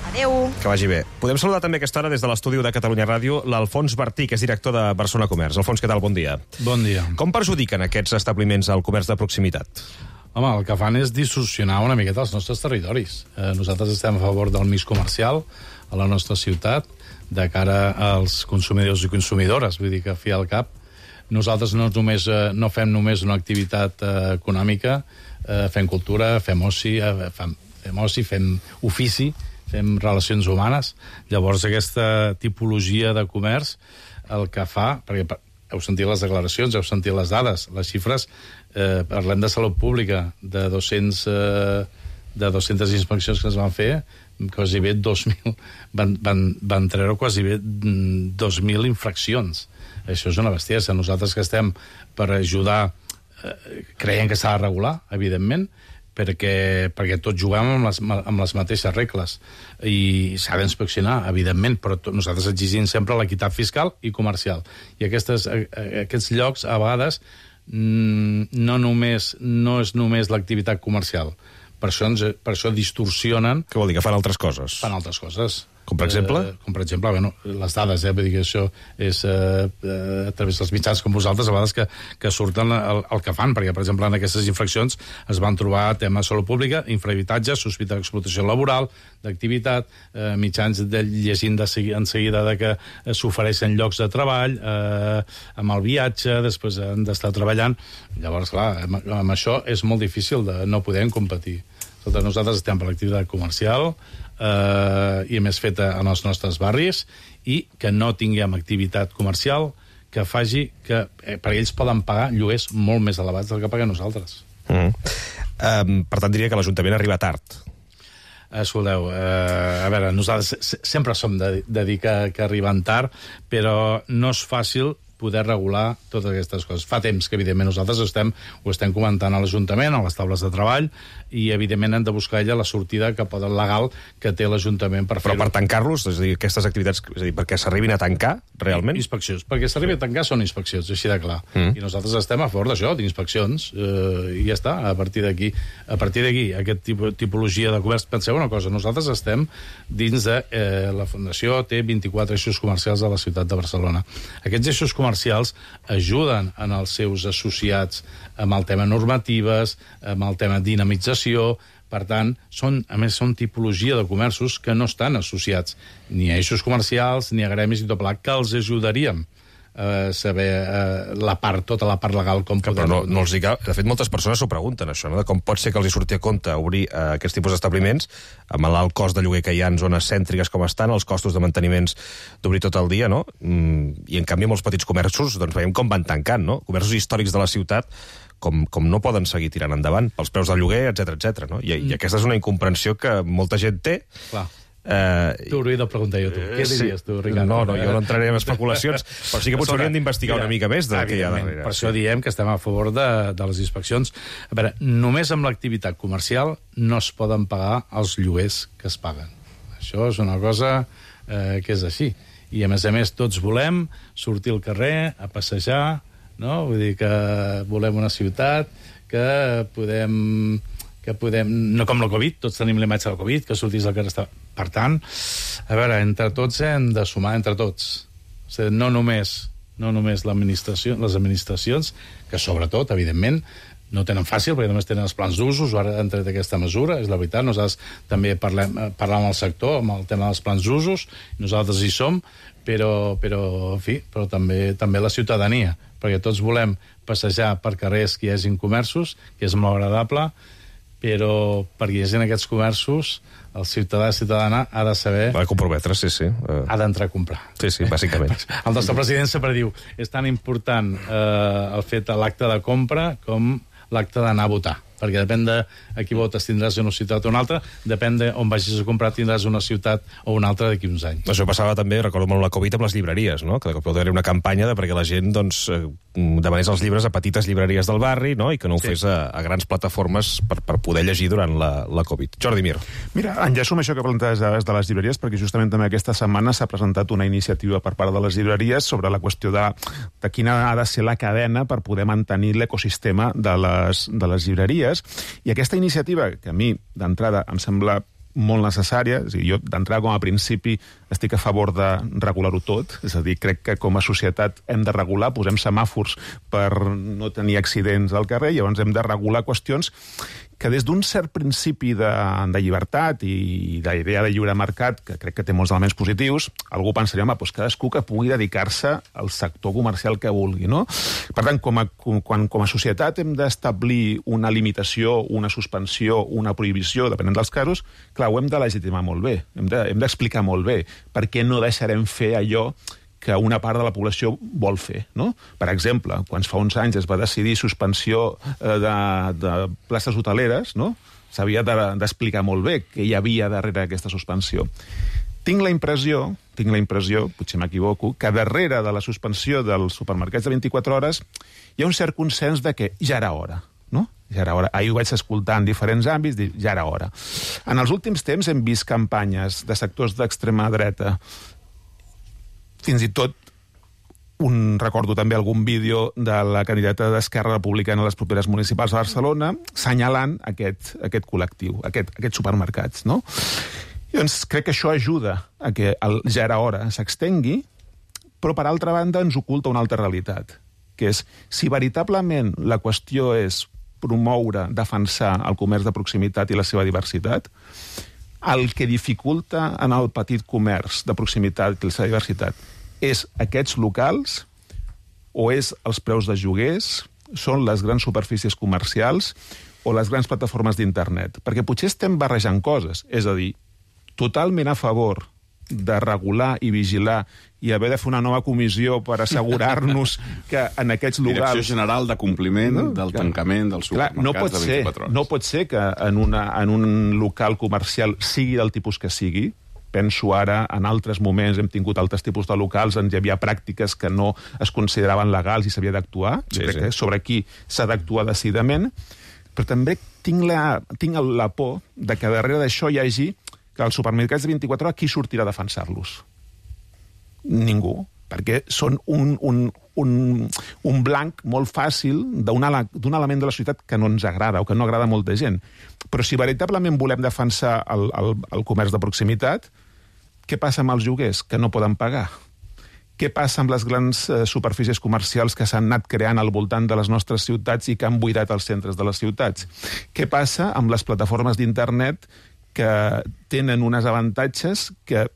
Adéu. Que vagi bé. Podem saludar també aquesta hora des de l'estudi de Catalunya Ràdio l'Alfons Bertí, que és director de Barcelona Comerç. Alfons, què tal? Bon dia. Bon dia. Com perjudiquen aquests establiments al comerç de proximitat? Home, el que fan és distorsionar una miqueta els nostres territoris. Eh, nosaltres estem a favor del mix comercial a la nostra ciutat de cara als consumidors i consumidores. Vull dir que, a fi al cap, nosaltres no, només, eh, no fem només una activitat eh, econòmica, eh, fem cultura, fem oci, eh, fem, fem oci, fem ofici, fem relacions humanes. Llavors, aquesta tipologia de comerç el que fa, perquè heu sentit les declaracions, heu sentit les dades, les xifres, eh, parlem de salut pública, de dos-cents, eh, de dues-centes inspeccions que es van fer, quasi bé dos mil, van, van, van treure quasi bé dos mil infraccions. Això és una bestiesa. Nosaltres que estem per ajudar, eh, creiem que s'ha de regular, evidentment, perquè, perquè tots juguem amb les, amb les mateixes regles i s'ha d'inspeccionar, evidentment, però tot, nosaltres exigim sempre l'equitat fiscal i comercial. I aquestes, aquests llocs, a vegades, no, només, no és només l'activitat comercial. Per això, ens, per això distorsionen... Què vol dir? Que fan altres coses? Fan altres coses. Com per exemple? Eh, com per exemple, bueno, les dades, eh, vull dir que això és eh, a través dels mitjans com vosaltres, a vegades que, que surten el, el que fan, perquè, per exemple, en aquestes infraccions es van trobar temes de salut pública, infrahabitatge, sospita d'explotació laboral, d'activitat, eh, mitjans de, llegint de segui, en seguida de que s'ofereixen llocs de treball, eh, amb el viatge, després han d'estar treballant. Llavors, clar, amb, amb això és molt difícil de no poder competir. Nosaltres estem per l'activitat comercial eh, i a més feta en els nostres barris i que no tinguem activitat comercial que faci que eh, perquè ells poden pagar lloguers molt més elevats del que paguem nosaltres. Mm. Um, per tant, diria que l'Ajuntament arriba tard. Escolteu, eh, a veure, nosaltres sempre som de, de dir que, que arriben tard, però no és fàcil poder regular totes aquestes coses. Fa temps que, evidentment, nosaltres estem, ho estem comentant a l'Ajuntament, a les taules de treball, i, evidentment, hem de buscar ella la sortida que pot legal que té l'Ajuntament per fer-ho. Però per tancar-los, és a dir, aquestes activitats, és a dir, perquè s'arribin a tancar, realment? Inspeccions. Perquè s'arribi a tancar són inspeccions, així de clar. Mm. I nosaltres estem a favor d'això, d'inspeccions, eh, i ja està, a partir d'aquí. A partir d'aquí, aquest tipus, tipologia de comerç, penseu una cosa, nosaltres estem dins de... Eh, la Fundació té vint-i-quatre eixos comercials a la ciutat de Barcelona. Aquests eixos comercials ajuden en els seus associats amb el tema normatives, amb el tema dinamització. Per tant, són, a més, són tipologia de comerços que no estan associats ni a eixos comercials ni a gremis i tot plegat, que els ajudaríem a saber eh, la part, tota la part legal com podem... Però no, no els hi cal... De fet, moltes persones s'ho pregunten, això, no? De com pot ser que els hi surti a compte obrir eh, aquests tipus d'establiments amb l'alt cost de lloguer que hi ha en zones cèntriques com estan, els costos de manteniments d'obrir tot el dia, no? Mm, I, en canvi, molts petits comerços, doncs veiem com van tancant, no? Comerços històrics de la ciutat com, com no poden seguir tirant endavant pels preus del lloguer, etcètera, etcètera, no? I, I aquesta és una incomprensió que molta gent té. Clar. Uh, T'ho hauria de preguntar jo, tu. Uh, Què diries, tu, Ricard? No, no, jo no entraré en especulacions, però sí que potser hauríem d'investigar una mica més del que hi ha darrere. Per això diem que estem a favor de, de les inspeccions. A veure, només amb l'activitat comercial no es poden pagar els lloguers que es paguen. Això és una cosa eh, que és així. I, a més a més, tots volem sortir al carrer, a passejar, no? Vull dir que volem una ciutat que podem... que podem, no com la Covid, tots tenim la imatge de la Covid, que sortís al carrer. Per tant, a veure, entre tots hem de sumar, entre tots. O sigui, no només, no només l'administració, les administracions, que sobretot, evidentment, no tenen fàcil, perquè només tenen els plans d'usos, ara han tret aquesta mesura, és la veritat, nosaltres també parlem, parlem amb el sector, amb el tema dels plans d'usos, nosaltres hi som, però, però en fi, però també, també la ciutadania, perquè tots volem passejar per carrers que hi hagin comerços, que és molt agradable, però perquè hi hagi aquests comerços, el ciutadà i ciutadana ha de saber... Va comprometre, sí, sí. Uh... Ha d'entrar a comprar. Sí, sí, bàsicament. El nostre president sempre diu, és tan important eh, el fet de l'acte de compra com l'acte d'anar a votar, perquè depèn de a qui votes tindràs una ciutat o una altra, depèn de on vagis a comprar tindràs una ciutat o una altra d'aquí uns anys. Això passava també, recordo molt la Covid, amb les llibreries, no? Que de cop hi haver una campanya de perquè la gent doncs, demanés els llibres a petites llibreries del barri, no? I que no ho sí. fes a, a grans plataformes per, per poder llegir durant la, la Covid. Jordi Mir. Mira, enllaço amb això que planteges de les llibreries, perquè justament també aquesta setmana s'ha presentat una iniciativa per part de les llibreries sobre la qüestió de, de quina ha de ser la cadena per poder mantenir l'ecosistema de les, de les llibreries. I aquesta iniciativa, que a mi, d'entrada, em sembla molt necessària, és a dir, jo d'entrada com a principi estic a favor de regular-ho tot, és a dir, crec que com a societat hem de regular, posem semàfors per no tenir accidents al carrer, i llavors hem de regular qüestions que des d'un cert principi de, de llibertat i d'idea de lliure mercat, que crec que té molts elements positius, algú pensaria, home, doncs cadascú que pugui dedicar-se al sector comercial que vulgui, no? Per tant, com a, quan, com a societat hem d'establir una limitació, una suspensió, una prohibició, depenent dels casos, clar, ho hem de legitimar molt bé, hem de, hem d'explicar molt bé per què no deixarem fer allò que una part de la població vol fer, no? Per exemple, quan fa uns anys es va decidir suspensió de, de places hoteleres, no? S'havia d'explicar molt bé què hi havia darrere aquesta suspensió. Tinc la impressió, tinc la impressió, potser m'equivoco, que darrere de la suspensió dels supermercats de vint-i-quatre hores hi ha un cert consens de que ja era hora, no? Ja era hora. Ahir ho vaig escoltar en diferents àmbits, dir, ja era hora. En els últims temps hem vist campanyes de sectors d'extrema dreta, fins i tot un, recordo també algun vídeo de la candidata d'Esquerra Republicana a les properes municipals de Barcelona assenyalant aquest, aquest col·lectiu, aquest, aquests supermercats, no? I doncs crec que això ajuda a que el ja era hora s'extengui, però per altra banda ens oculta una altra realitat, que és si veritablement la qüestió és promoure, defensar el comerç de proximitat i la seva diversitat, el que dificulta en el petit comerç de proximitat i la seva diversitat és aquests locals o és els preus de lloguers, són les grans superfícies comercials o les grans plataformes d'internet. Perquè potser estem barrejant coses, és a dir, totalment a favor de regular i vigilar i haver de fer una nova comissió per assegurar-nos que en aquests locals... Direcció General de Compliment no? del clar, tancament dels supermercats clar, no pot de vint-i-quatre hores. No pot ser que en, una, en un local comercial sigui del tipus que sigui, penso ara, en altres moments hem tingut altres tipus de locals on hi havia pràctiques que no es consideraven legals i s'havia d'actuar. Jo sí, crec sí. que sobre aquí s'ha d'actuar decididament, però també tinc la, tinc la por de que darrere d'això hi hagi que els supermercats de vint-i-quatre hores qui sortirà a defensar-los? Ningú, perquè són un, un, un, un blanc molt fàcil d'un element de la societat que no ens agrada o que no agrada a molta gent. Però si veritablement volem defensar el, el, el comerç de proximitat, què passa amb els lloguers que no poden pagar? Què passa amb les grans eh, superfícies comercials que s'han anat creant al voltant de les nostres ciutats i que han buidat els centres de les ciutats? Què passa amb les plataformes d'internet que tenen uns avantatges que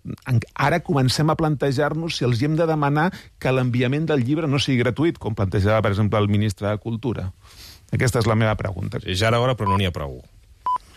ara comencem a plantejar-nos si els hem de demanar que l'enviament del llibre no sigui gratuït, com plantejava, per exemple, el ministre de Cultura? Aquesta és la meva pregunta. Sí, ja era hora, però no n'hi ha prou.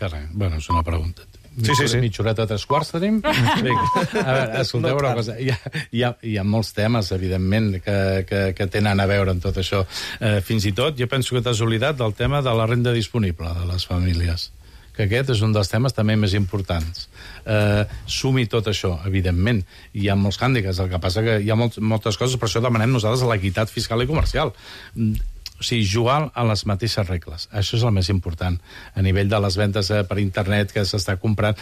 Carai, bueno, és una pregunta. Sí, sí, sí. Mitja horeta, tres quarts tenim? A veure, escolteu una cosa. Hi ha, hi, ha, hi ha molts temes, evidentment, que, que, que tenen a veure amb tot això. Eh, fins i tot, jo penso que t'has oblidat del tema de la renda disponible de les famílies, que aquest és un dels temes també més importants. Eh, sumi tot això, evidentment. Hi ha molts hàndicaps, el que passa que hi ha molt, moltes coses, per això demanem nosaltres l'equitat fiscal i comercial. O sigui, jugar a les mateixes regles. Això és el més important. A nivell de les ventes per internet que s'està comprant,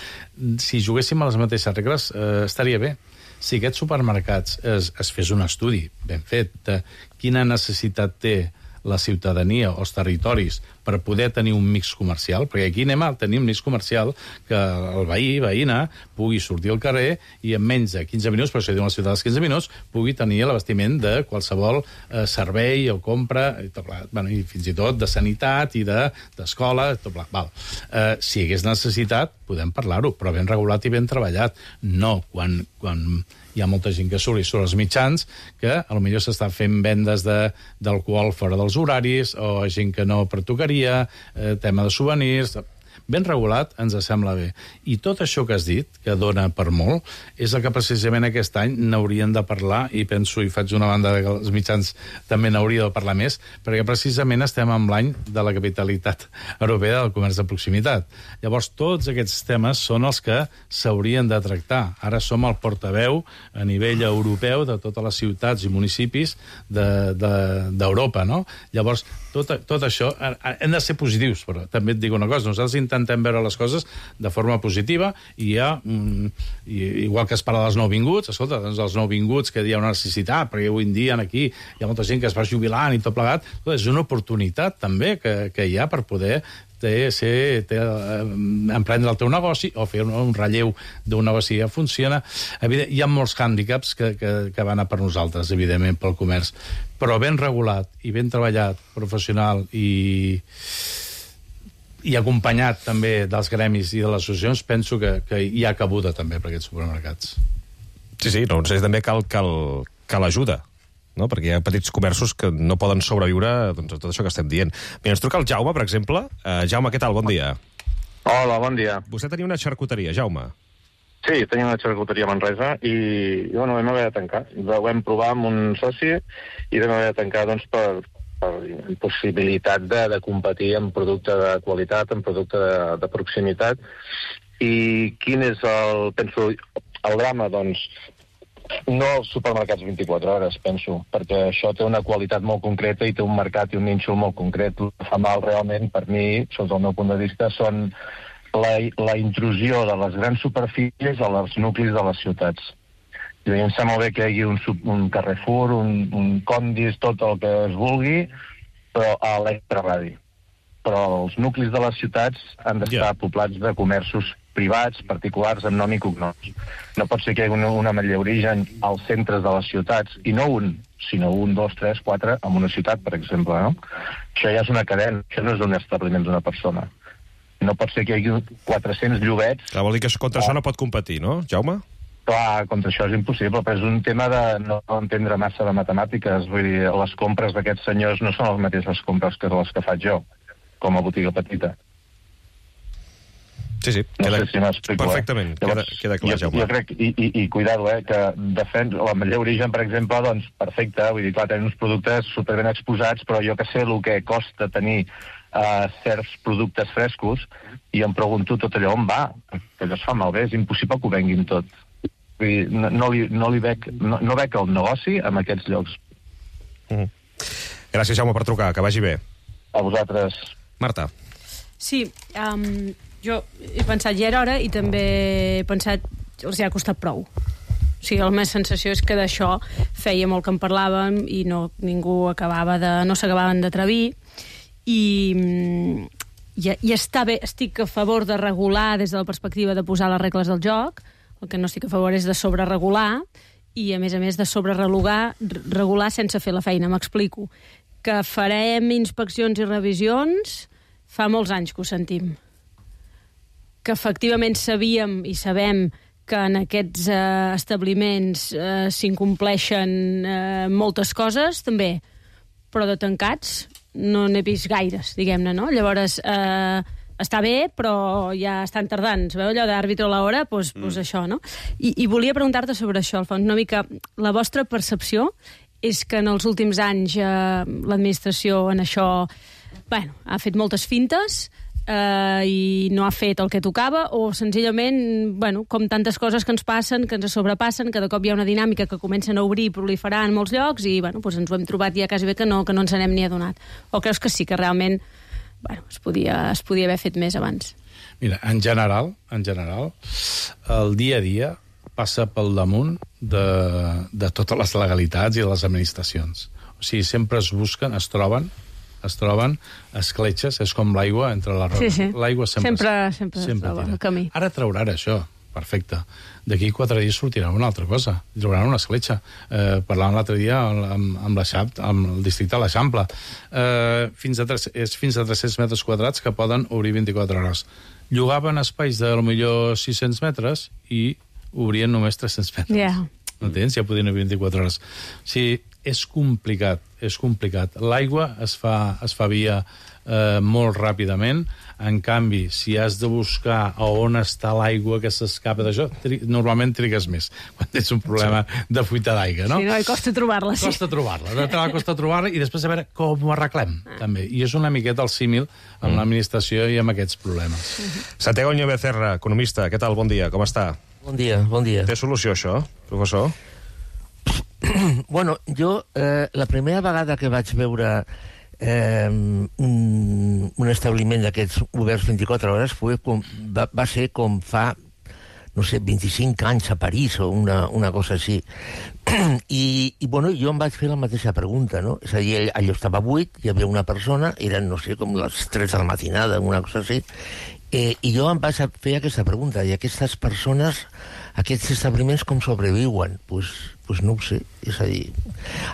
si juguéssim a les mateixes regles, eh, estaria bé. Si aquests supermercats es, es fes un estudi ben fet de quina necessitat té la ciutadania o els territoris per poder tenir un mix comercial, perquè aquí anem a tenir un mix comercial que el veí, veïna, pugui sortir al carrer i en menys de quinze minuts, per això diuen la ciutat dels quinze minuts, pugui tenir l'abastiment de qualsevol eh, servei o compra, i, tot, bueno, i fins i tot de sanitat i d'escola, de, tot, val. Eh, si hi hagués necessitat, podem parlar-ho, però ben regulat i ben treballat. No, quan... quan hi ha molta gent que surt i surt als mitjans que potser s'està fent vendes d'alcohol fora dels horaris o gent que no pertocaria, eh, tema de souvenirs... Ben regulat ens sembla bé. I tot això que has dit, que dona per molt, és el que precisament aquest any n'haurien de parlar, i penso, i faig una banda que els mitjans també n'hauria de parlar més, perquè precisament estem en l'any de la capitalitat europea del comerç de proximitat. Llavors, tots aquests temes són els que s'haurien de tractar. Ara som el portaveu a nivell europeu de totes les ciutats i municipis d'Europa, no? Llavors, tot, tot això, hem de ser positius, però també et dic una cosa, nosaltres intentem veure les coses de forma positiva i hi ha, mm, igual que es parla dels nouvinguts, escolta, doncs els nouvinguts que hi ha una necessitat, perquè avui en dia aquí hi ha molta gent que es va jubilant i tot plegat, és una oportunitat també que, que hi ha per poder té, ser, té, eh, emprendre el teu negoci o fer un, un relleu d'un negoci que funciona. Evident, hi ha molts hàndicaps que, que, que van a per nosaltres, evidentment, pel comerç, però ben regulat i ben treballat, professional i... i acompanyat també dels gremis i de les associacions, penso que, que hi ha cabuda també per aquests supermercats. Sí, sí, no, doncs també cal, cal, cal ajuda, no? Perquè hi ha petits comerços que no poden sobreviure doncs, a tot això que estem dient. Mira, ens truca el Jaume, per exemple. Uh, Jaume, què tal? Bon dia. Hola, bon dia. Vostè tenia una xarcuteria, Jaume. Sí, tenia una xarcuteria a Manresa i, i bueno, vam haver de tancar. Ho vam provar amb un soci i vam haver de tancar doncs, per, per impossibilitat de, de competir en producte de qualitat, en producte de, de proximitat. I quin és el, penso, el drama? Doncs no els supermercats vint-i-quatre hores, penso, perquè això té una qualitat molt concreta i té un mercat i un nínxol molt concret. El que fa mal realment, per mi, sota el meu punt de vista, són la, la intrusió de les grans superfícies als nuclis de les ciutats. I em sembla bé que hi hagi un, un Carrefour, un, un Condis, tot el que es vulgui, però a l'extraradi. Però els nuclis de les ciutats han d'estar yeah. poblats de comerços privats, particulars, amb nom i cognoms. No pot ser que hi hagi una, una Ametller Origen als centres de les ciutats, i no un, sinó un, dos, tres, quatre, en una ciutat, per exemple, no? Això ja és una cadena, això no és un establiment d'una persona. No pot ser que hi hagi quatre-cents llobets... Clar, vol dir que contra això no pot competir, no, Jaume? Clar, contra això és impossible, però és un tema de no entendre massa de matemàtiques. Vull dir, les compres d'aquests senyors no són les mateixes compres que les que faig jo, com a botiga petita. Sí, sí, no queda, sé si m'explico, perfectament, eh? Llavors, queda, queda clar, jo, Jaume. Jo crec, i, i, i cuidado, eh, que defens la Ametller Origen, per exemple, doncs perfecte, vull dir, clar, tenen uns productes superben exposats, però jo que sé el que costa tenir uh, certs productes frescos, i em pregunto tot allò on va, que allò es fa malbé, és impossible que ho venguin tot. Vull dir, no, no, li, no, li veig, no, no veig el negoci en aquests llocs. Mm. Gràcies, Jaume, per trucar. Que vagi bé. A vosaltres. Marta. Sí, um, jo he pensat ja era hora i també he pensat els hi ha costat prou. O sigui, la meva sensació és que d'això feia molt que en parlàvem i no, ningú acabava de, no s'acabaven d'atrevir i, i, i està bé, estic a favor de regular des de la perspectiva de posar les regles del joc, el que no estic a favor és de sobreregular i a més a més de sobreregular regular sense fer la feina, m'explico. Que farem inspeccions i revisions fa molts anys que ho sentim. Que efectivament sabíem i sabem que en aquests eh, establiments eh, s'incompleixen eh, moltes coses, també, però de tancats no n'he vist gaires, diguem-ne, no? Llavors, eh, està bé, però ja estan tardant. Es veu allò d'àrbitre a l'hora? Doncs pues, pues això, no? I, I volia preguntar-te sobre això, Alfons, una mica la vostra percepció és que en els últims anys eh, l'administració en això bueno, ha fet moltes fintes eh, i no ha fet el que tocava, o senzillament, bueno, com tantes coses que ens passen, que ens sobrepassen, que de cop hi ha una dinàmica que comencen a obrir i proliferar en molts llocs i bueno, doncs ens ho hem trobat ja quasi bé que no, que no ens n'hem ni adonat. O creus que sí, que realment bueno, es, podia, es podia haver fet més abans? Mira, en general, en general, el dia a dia passa pel damunt de, de totes les legalitats i de les administracions. O sigui, sempre es busquen, es troben, es troben escletxes, és com l'aigua entre la roca. Sí, sí. L'aigua sempre, sempre, sempre, sempre es troba el camí. Ara trauran això, perfecte. D'aquí quatre dies sortirà una altra cosa. Trauran una escletxa. Eh, parlàvem l'altre dia amb, amb, l'Eixample, amb el districte de l'Eixample. Eh, fins a tres, és fins a tres-cents metres quadrats que poden obrir vint-i-quatre hores. Llogaven espais de potser sis-cents metres i obrien només tres-cents metres. Yeah. No tens? Ja podien obrir vint-i-quatre hores. O sigui, és complicat, és complicat. L'aigua es fa, es fa via eh, molt ràpidament. En canvi, si has de buscar a on està l'aigua que s'escapa d'això, tri normalment trigues més quan tens un problema sí. de fuita d'aigua, no? Sí, no, i costa trobar-la, sí. Costa trobar-la, de costa trobar-la i després a veure com ho arreglem, ah. també. I és una miqueta el símil amb mm. l'administració i amb aquests problemes. Mm-hmm. Santiago Oñó Becerra, economista, què tal? Bon dia, com està? Bon dia, bon dia. Té solució, això, professor? Bueno, jo, eh, la primera vegada que vaig veure eh, un, un establiment d'aquests oberts vint-i-quatre hores fue com, va, va ser com fa, no sé, vint-i-cinc anys a París o una, una cosa així. I, I, bueno, jo em vaig fer la mateixa pregunta, no? És a dir, allò estava buit, hi havia una persona, eren, no sé, com les tres de la matinada, una cosa així, eh, i jo em vaig fer aquesta pregunta, i aquestes persones, aquests establiments com sobreviuen? Doncs pues, pues no ho sé, és a dir...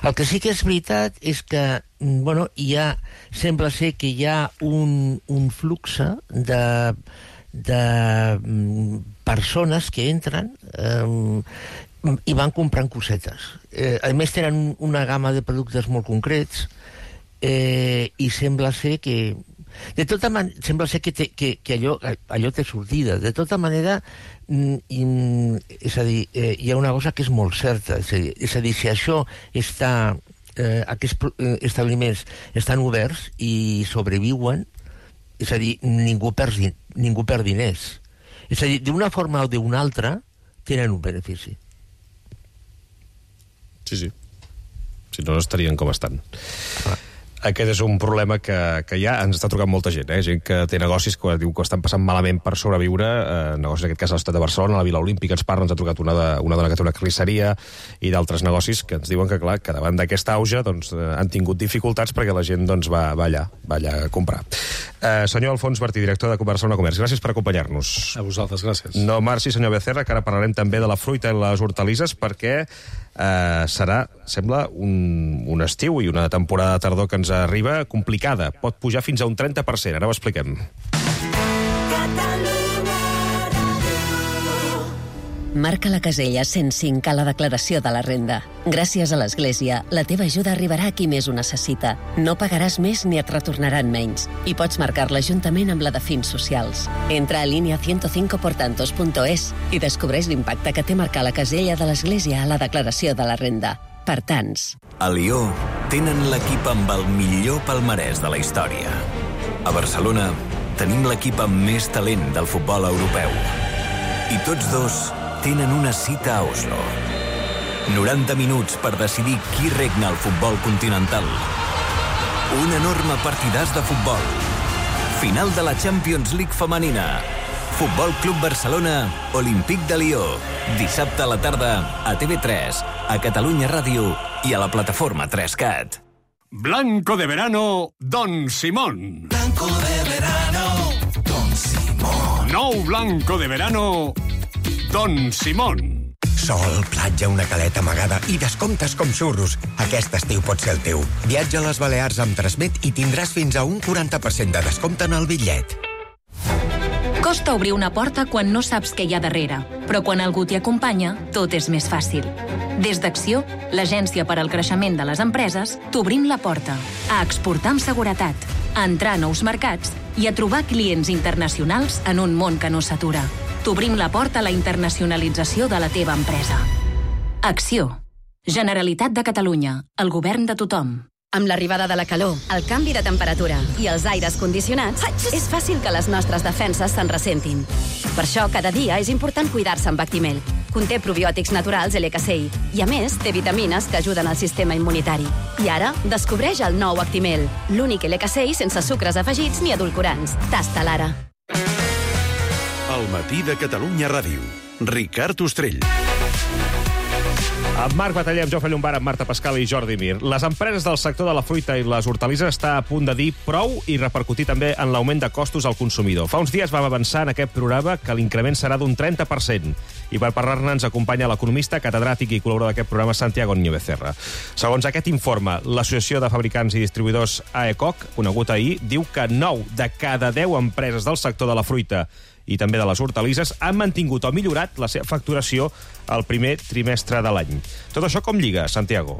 El que sí que és veritat és que, bueno, hi ha, sembla ser que hi ha un, un flux de, de persones que entren eh, i van comprant cosetes. Eh, a més, tenen una gamma de productes molt concrets eh, i sembla ser que... De tota manera, sembla ser que, té, que, que allò, allò té sortida. De tota manera, mm, és a dir, eh, hi ha una cosa que és molt certa. És a dir, és a dir si això està... Eh, aquests eh, establiments estan oberts i sobreviuen, és a dir, ningú perd, ningú perd diners. És a dir, d'una forma o d'una altra, tenen un benefici. Sí, sí. Si no, estarien com estan. Ah. Aquest és un problema que, que ja ens està trucant molta gent, eh? Gent que té negocis que diu que estan passant malament per sobreviure, eh, negocis en aquest cas a l'Estat de Barcelona, a la Vila Olímpica, ens parla, ens ha trucat una, de, una dona que té una carnisseria i d'altres negocis que ens diuen que, clar, que davant d'aquesta auge doncs, eh, han tingut dificultats perquè la gent doncs, va, va, allà, va allà a comprar. Eh, senyor Alfons Martí, director de Barcelona Comerç, gràcies per acompanyar-nos. A vosaltres, gràcies. No marxi, senyor Becerra, que ara parlarem també de la fruita i les hortalisses, perquè eh, serà, sembla, un, un estiu i una temporada de tardor que ens arriba complicada. Pot pujar fins a un trenta per cent. Ara ho expliquem. Marca la casella cent cinc a la declaració de la renda. Gràcies a l'Església, la teva ajuda arribarà a qui més ho necessita. No pagaràs més ni et retornaran menys. I pots marcar-la juntament amb la de fins socials. Entra a línia ciento cinco portantos punto es i descobreix l'impacte que té marcar la casella de l'Església a la declaració de la renda. Per tants. A Lió tenen l'equip amb el millor palmarès de la història. A Barcelona tenim l'equip amb més talent del futbol europeu. I tots dos tenen una cita a Oslo. noranta minuts per decidir qui regna el futbol continental. Un enorme partidàs de futbol. Final de la Champions League femenina. Futbol Club Barcelona, Olímpic de Lió. Dissabte a la tarda a T V tres, a Catalunya Ràdio i a la plataforma tres cat. Blanco de verano, Don Simón. Blanco de verano, Don Simón. Nou blanco de verano, Don Simón. Sol, platja, una caleta amagada i descomptes com xurros. Aquest estiu pot ser el teu. Viatja a les Balears amb Transmet i tindràs fins a un quaranta per cent de descompte en el bitllet. Costa obrir una porta quan no saps què hi ha darrere, però quan algú t'hi acompanya, tot és més fàcil. Des d'Acció, l'agència per al creixement de les empreses, t'obrim la porta a exportar amb seguretat, a entrar a nous mercats i a trobar clients internacionals en un món que no s'atura. T'obrim la porta a la internacionalització de la teva empresa. Acció. Generalitat de Catalunya. El govern de tothom. Amb l'arribada de la calor, el canvi de temperatura i els aires condicionats, és fàcil que les nostres defenses se'n ressentin. Per això, cada dia és important cuidar-se amb Actimel. Conté probiòtics naturals L K C I i, a més, té vitamines que ajuden al sistema immunitari. I ara, descobreix el nou Actimel, l'únic L K C I sense sucres afegits ni edulcorants. Tasta l'ara. El matí de Catalunya Ràdio. Ricard Ostrell. Amb Marc Bataller, amb Jofre Llombart, amb Marta Pascal i Jordi Mir. Les empreses del sector de la fruita i les hortalisses està a punt de dir prou i repercutir també en l'augment de costos al consumidor. Fa uns dies vam avançar en aquest programa que l'increment serà d'un trenta per cent. I per parlar-ne ens acompanya l'economista, catedràtic i col·laborador d'aquest programa, Santiago Niño Becerra. Segons aquest informe, l'Associació de Fabricants i Distribuïdors A E C O C, conegut ahir, diu que nou de cada deu empreses del sector de la fruita i també de les hortalisses han mantingut o millorat la seva facturació al primer trimestre de l'any. Tot això com lliga, Santiago?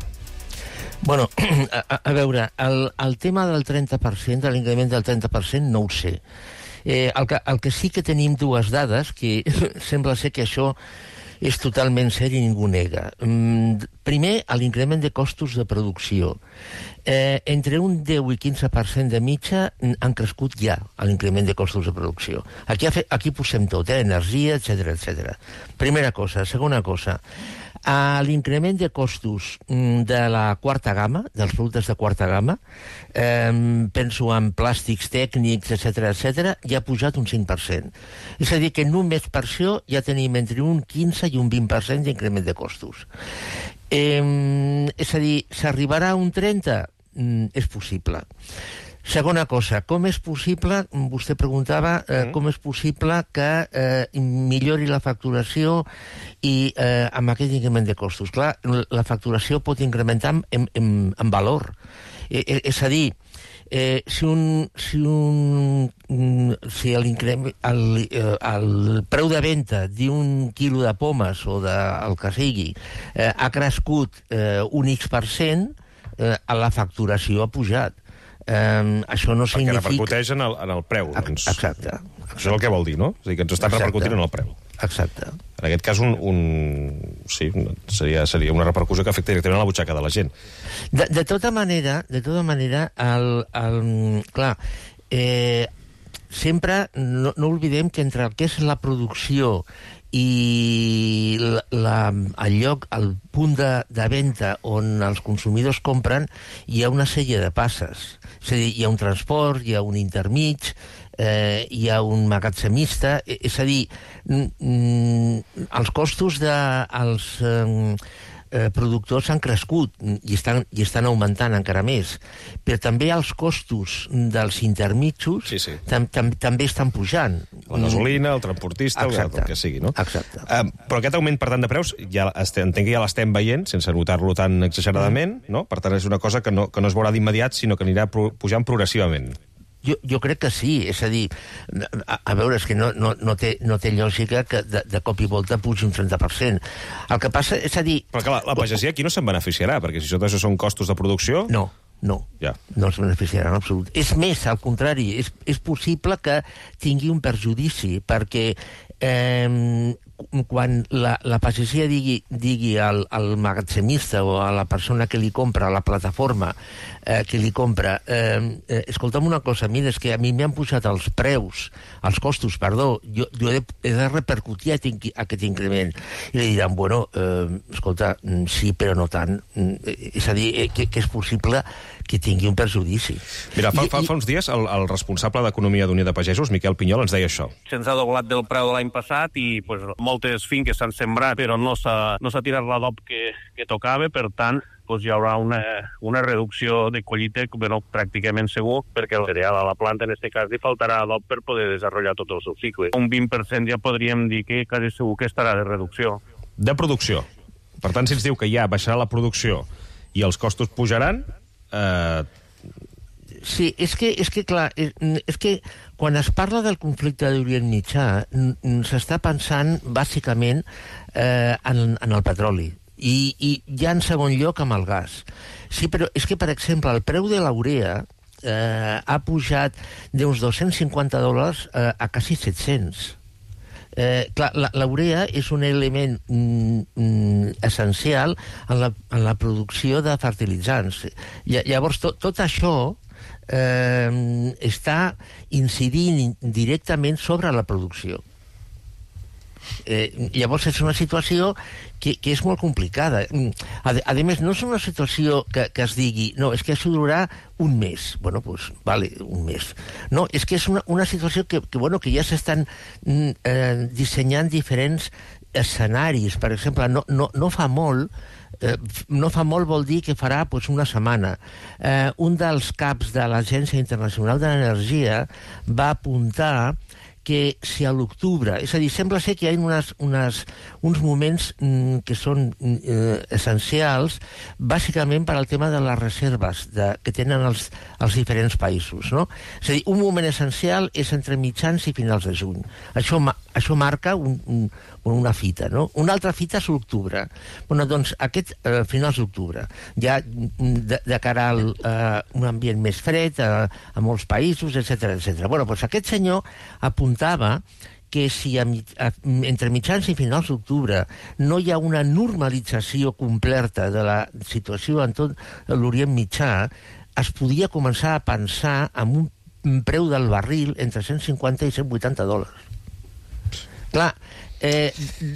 Bueno, a, a veure, el, el tema del trenta per cent, de l'increment del trenta per cent, no ho sé. Eh, el, que, el que sí que tenim dues dades, que sembla ser que això és totalment cert i ningú nega. Mm, primer, l'increment de costos de producció. Eh, entre un deu i quinze per cent de mitja han crescut ja l'increment de costos de producció. Aquí, aquí posem tot, eh? Energia, etcètera, etcètera. Primera cosa. Segona cosa, a l'increment de costos de la quarta gamma, dels productes de quarta gamma, eh, penso en plàstics tècnics, etcètera, etcètera, ja ha pujat un cinc per cent. És a dir, que només per això ja tenim entre un quinze i un vint per cent d'increment de costos. Eh, és a dir, s'arribarà a un trenta? Mm, és possible. Segona cosa, com és possible, vostè preguntava, eh, com és possible que eh, millori la facturació i eh, amb aquest increment de costos? Clar, la facturació pot incrementar en, en, en valor. Eh, eh, és a dir, eh, si un... Si un si el, el, el preu de venda d'un quilo de pomes o del que sigui eh, ha crescut eh, un X per cent, eh, la facturació ha pujat. Eh, això no Perquè significa... repercuteix en el, en el preu. Doncs. Exacte. Això és el que vol dir, no? És a dir, que ens estan Exacte. repercutint en el preu. Exacte. En aquest cas, un, un... Sí, seria, seria una repercussió que afecta directament a la butxaca de la gent. De, de tota manera, de tota manera, el, el, clar, eh, sempre no, no oblidem que entre el que és la producció i la, la, el lloc, el punt de, de venda on els consumidors compren, hi ha una sèrie de passes. És a dir, hi ha un transport, hi ha un intermig, eh, hi ha un magatzemista, és a dir, mm, els costos dels eh, eh, productors han crescut i estan, i estan augmentant encara més, però també els costos dels intermitjos sí, sí. tam, tam, també estan pujant. La gasolina, el transportista, el, el que sigui, no? Exacte. Uh, però aquest augment, per tant, de preus, ja estem, entenc que ja l'estem veient, sense notar-lo tan exageradament, no? Per tant, és una cosa que no, que no es veurà d'immediat, sinó que anirà pro, pujant progressivament. Jo, jo crec que sí, és a dir, a, a veure, és que no, no, no, té, no té lògica que de, de cop i volta pugi un trenta per cent. El que passa és a dir... Però clar, la, la pagesia aquí no se'n beneficiarà, perquè si tot això són costos de producció... No, no, ja. no es beneficiarà en absolut. És més, al contrari, és, és possible que tingui un perjudici, perquè eh, quan la, la pagesia digui, digui al, al magatzemista o a la persona que li compra, a la plataforma eh, que li compra, eh, eh, escolta'm una cosa, mira, és que a mi m'han pujat els preus, els costos, perdó, jo, jo he, de, he de repercutir aquest increment. I li diran, bueno, eh, escolta, sí, però no tant. És a dir, eh, que, que és possible que tingui un perjudici. Mira, fa, I, fa, fa uns dies el, el responsable d'Economia d'Unió de Pagesos, Miquel Pinyol, ens deia això. Se'ns ha doblat del preu de l'any passat i pues, moltes finques s'han sembrat, però no s'ha no s'ha tirat l'adob que, que tocava, per tant, pues, hi haurà una, una reducció de collita bueno, pràcticament segur, perquè el cereal a la planta, en aquest cas, li faltarà adob per poder desenvolupar tot el seu cicle. Un vint per cent ja podríem dir que quasi segur que estarà de reducció. De producció. Per tant, si ens diu que ja baixarà la producció i els costos pujaran... Eh... Sí, és que, és que clar, és, és que quan es parla del conflicte d'Orient Mitjà s'està pensant bàsicament eh, en, en el petroli i, i ja en segon lloc amb el gas. Sí, però és que, per exemple, el preu de la urea eh, ha pujat d'uns dos-cents cinquanta dòlars eh, a quasi set-cents. Eh, clar, la, la urea és un element mm, mm, essencial en la, en la producció de fertilitzants. Llavors, tot, tot això eh, està incidint directament sobre la producció. Eh, llavors és una situació que, que és molt complicada. A, a més, no és una situació que, que es digui no, és que això durarà un mes. Bueno, doncs, vale, un mes. No, és que és una, una situació que, que, bueno, que ja s'estan eh, dissenyant diferents escenaris. Per exemple, no, no, no fa molt eh, no fa molt vol dir que farà pues, una setmana. Eh, un dels caps de l'Agència Internacional de l'Energia va apuntar que si a l'octubre... És a dir, sembla ser que hi ha unes, unes, uns moments mm, que són eh, essencials, bàsicament per al tema de les reserves de, que tenen els, els diferents països. No? És a dir, un moment essencial és entre mitjans i finals de juny. Això, això marca un, un, una fita. No? Una altra fita és l'octubre. Bueno, doncs, aquest eh, finals d'octubre, ja de, de cara a eh, un ambient més fred, a, a molts països, etcètera, etcètera. Bueno, doncs aquest senyor apuntava que si a, a, entre mitjans i finals d'octubre no hi ha una normalització completa de la situació en tot l'Orient Mitjà, es podia començar a pensar en un preu del barril entre cent cinquanta i cent vuitanta dòlars. Clar, Eh,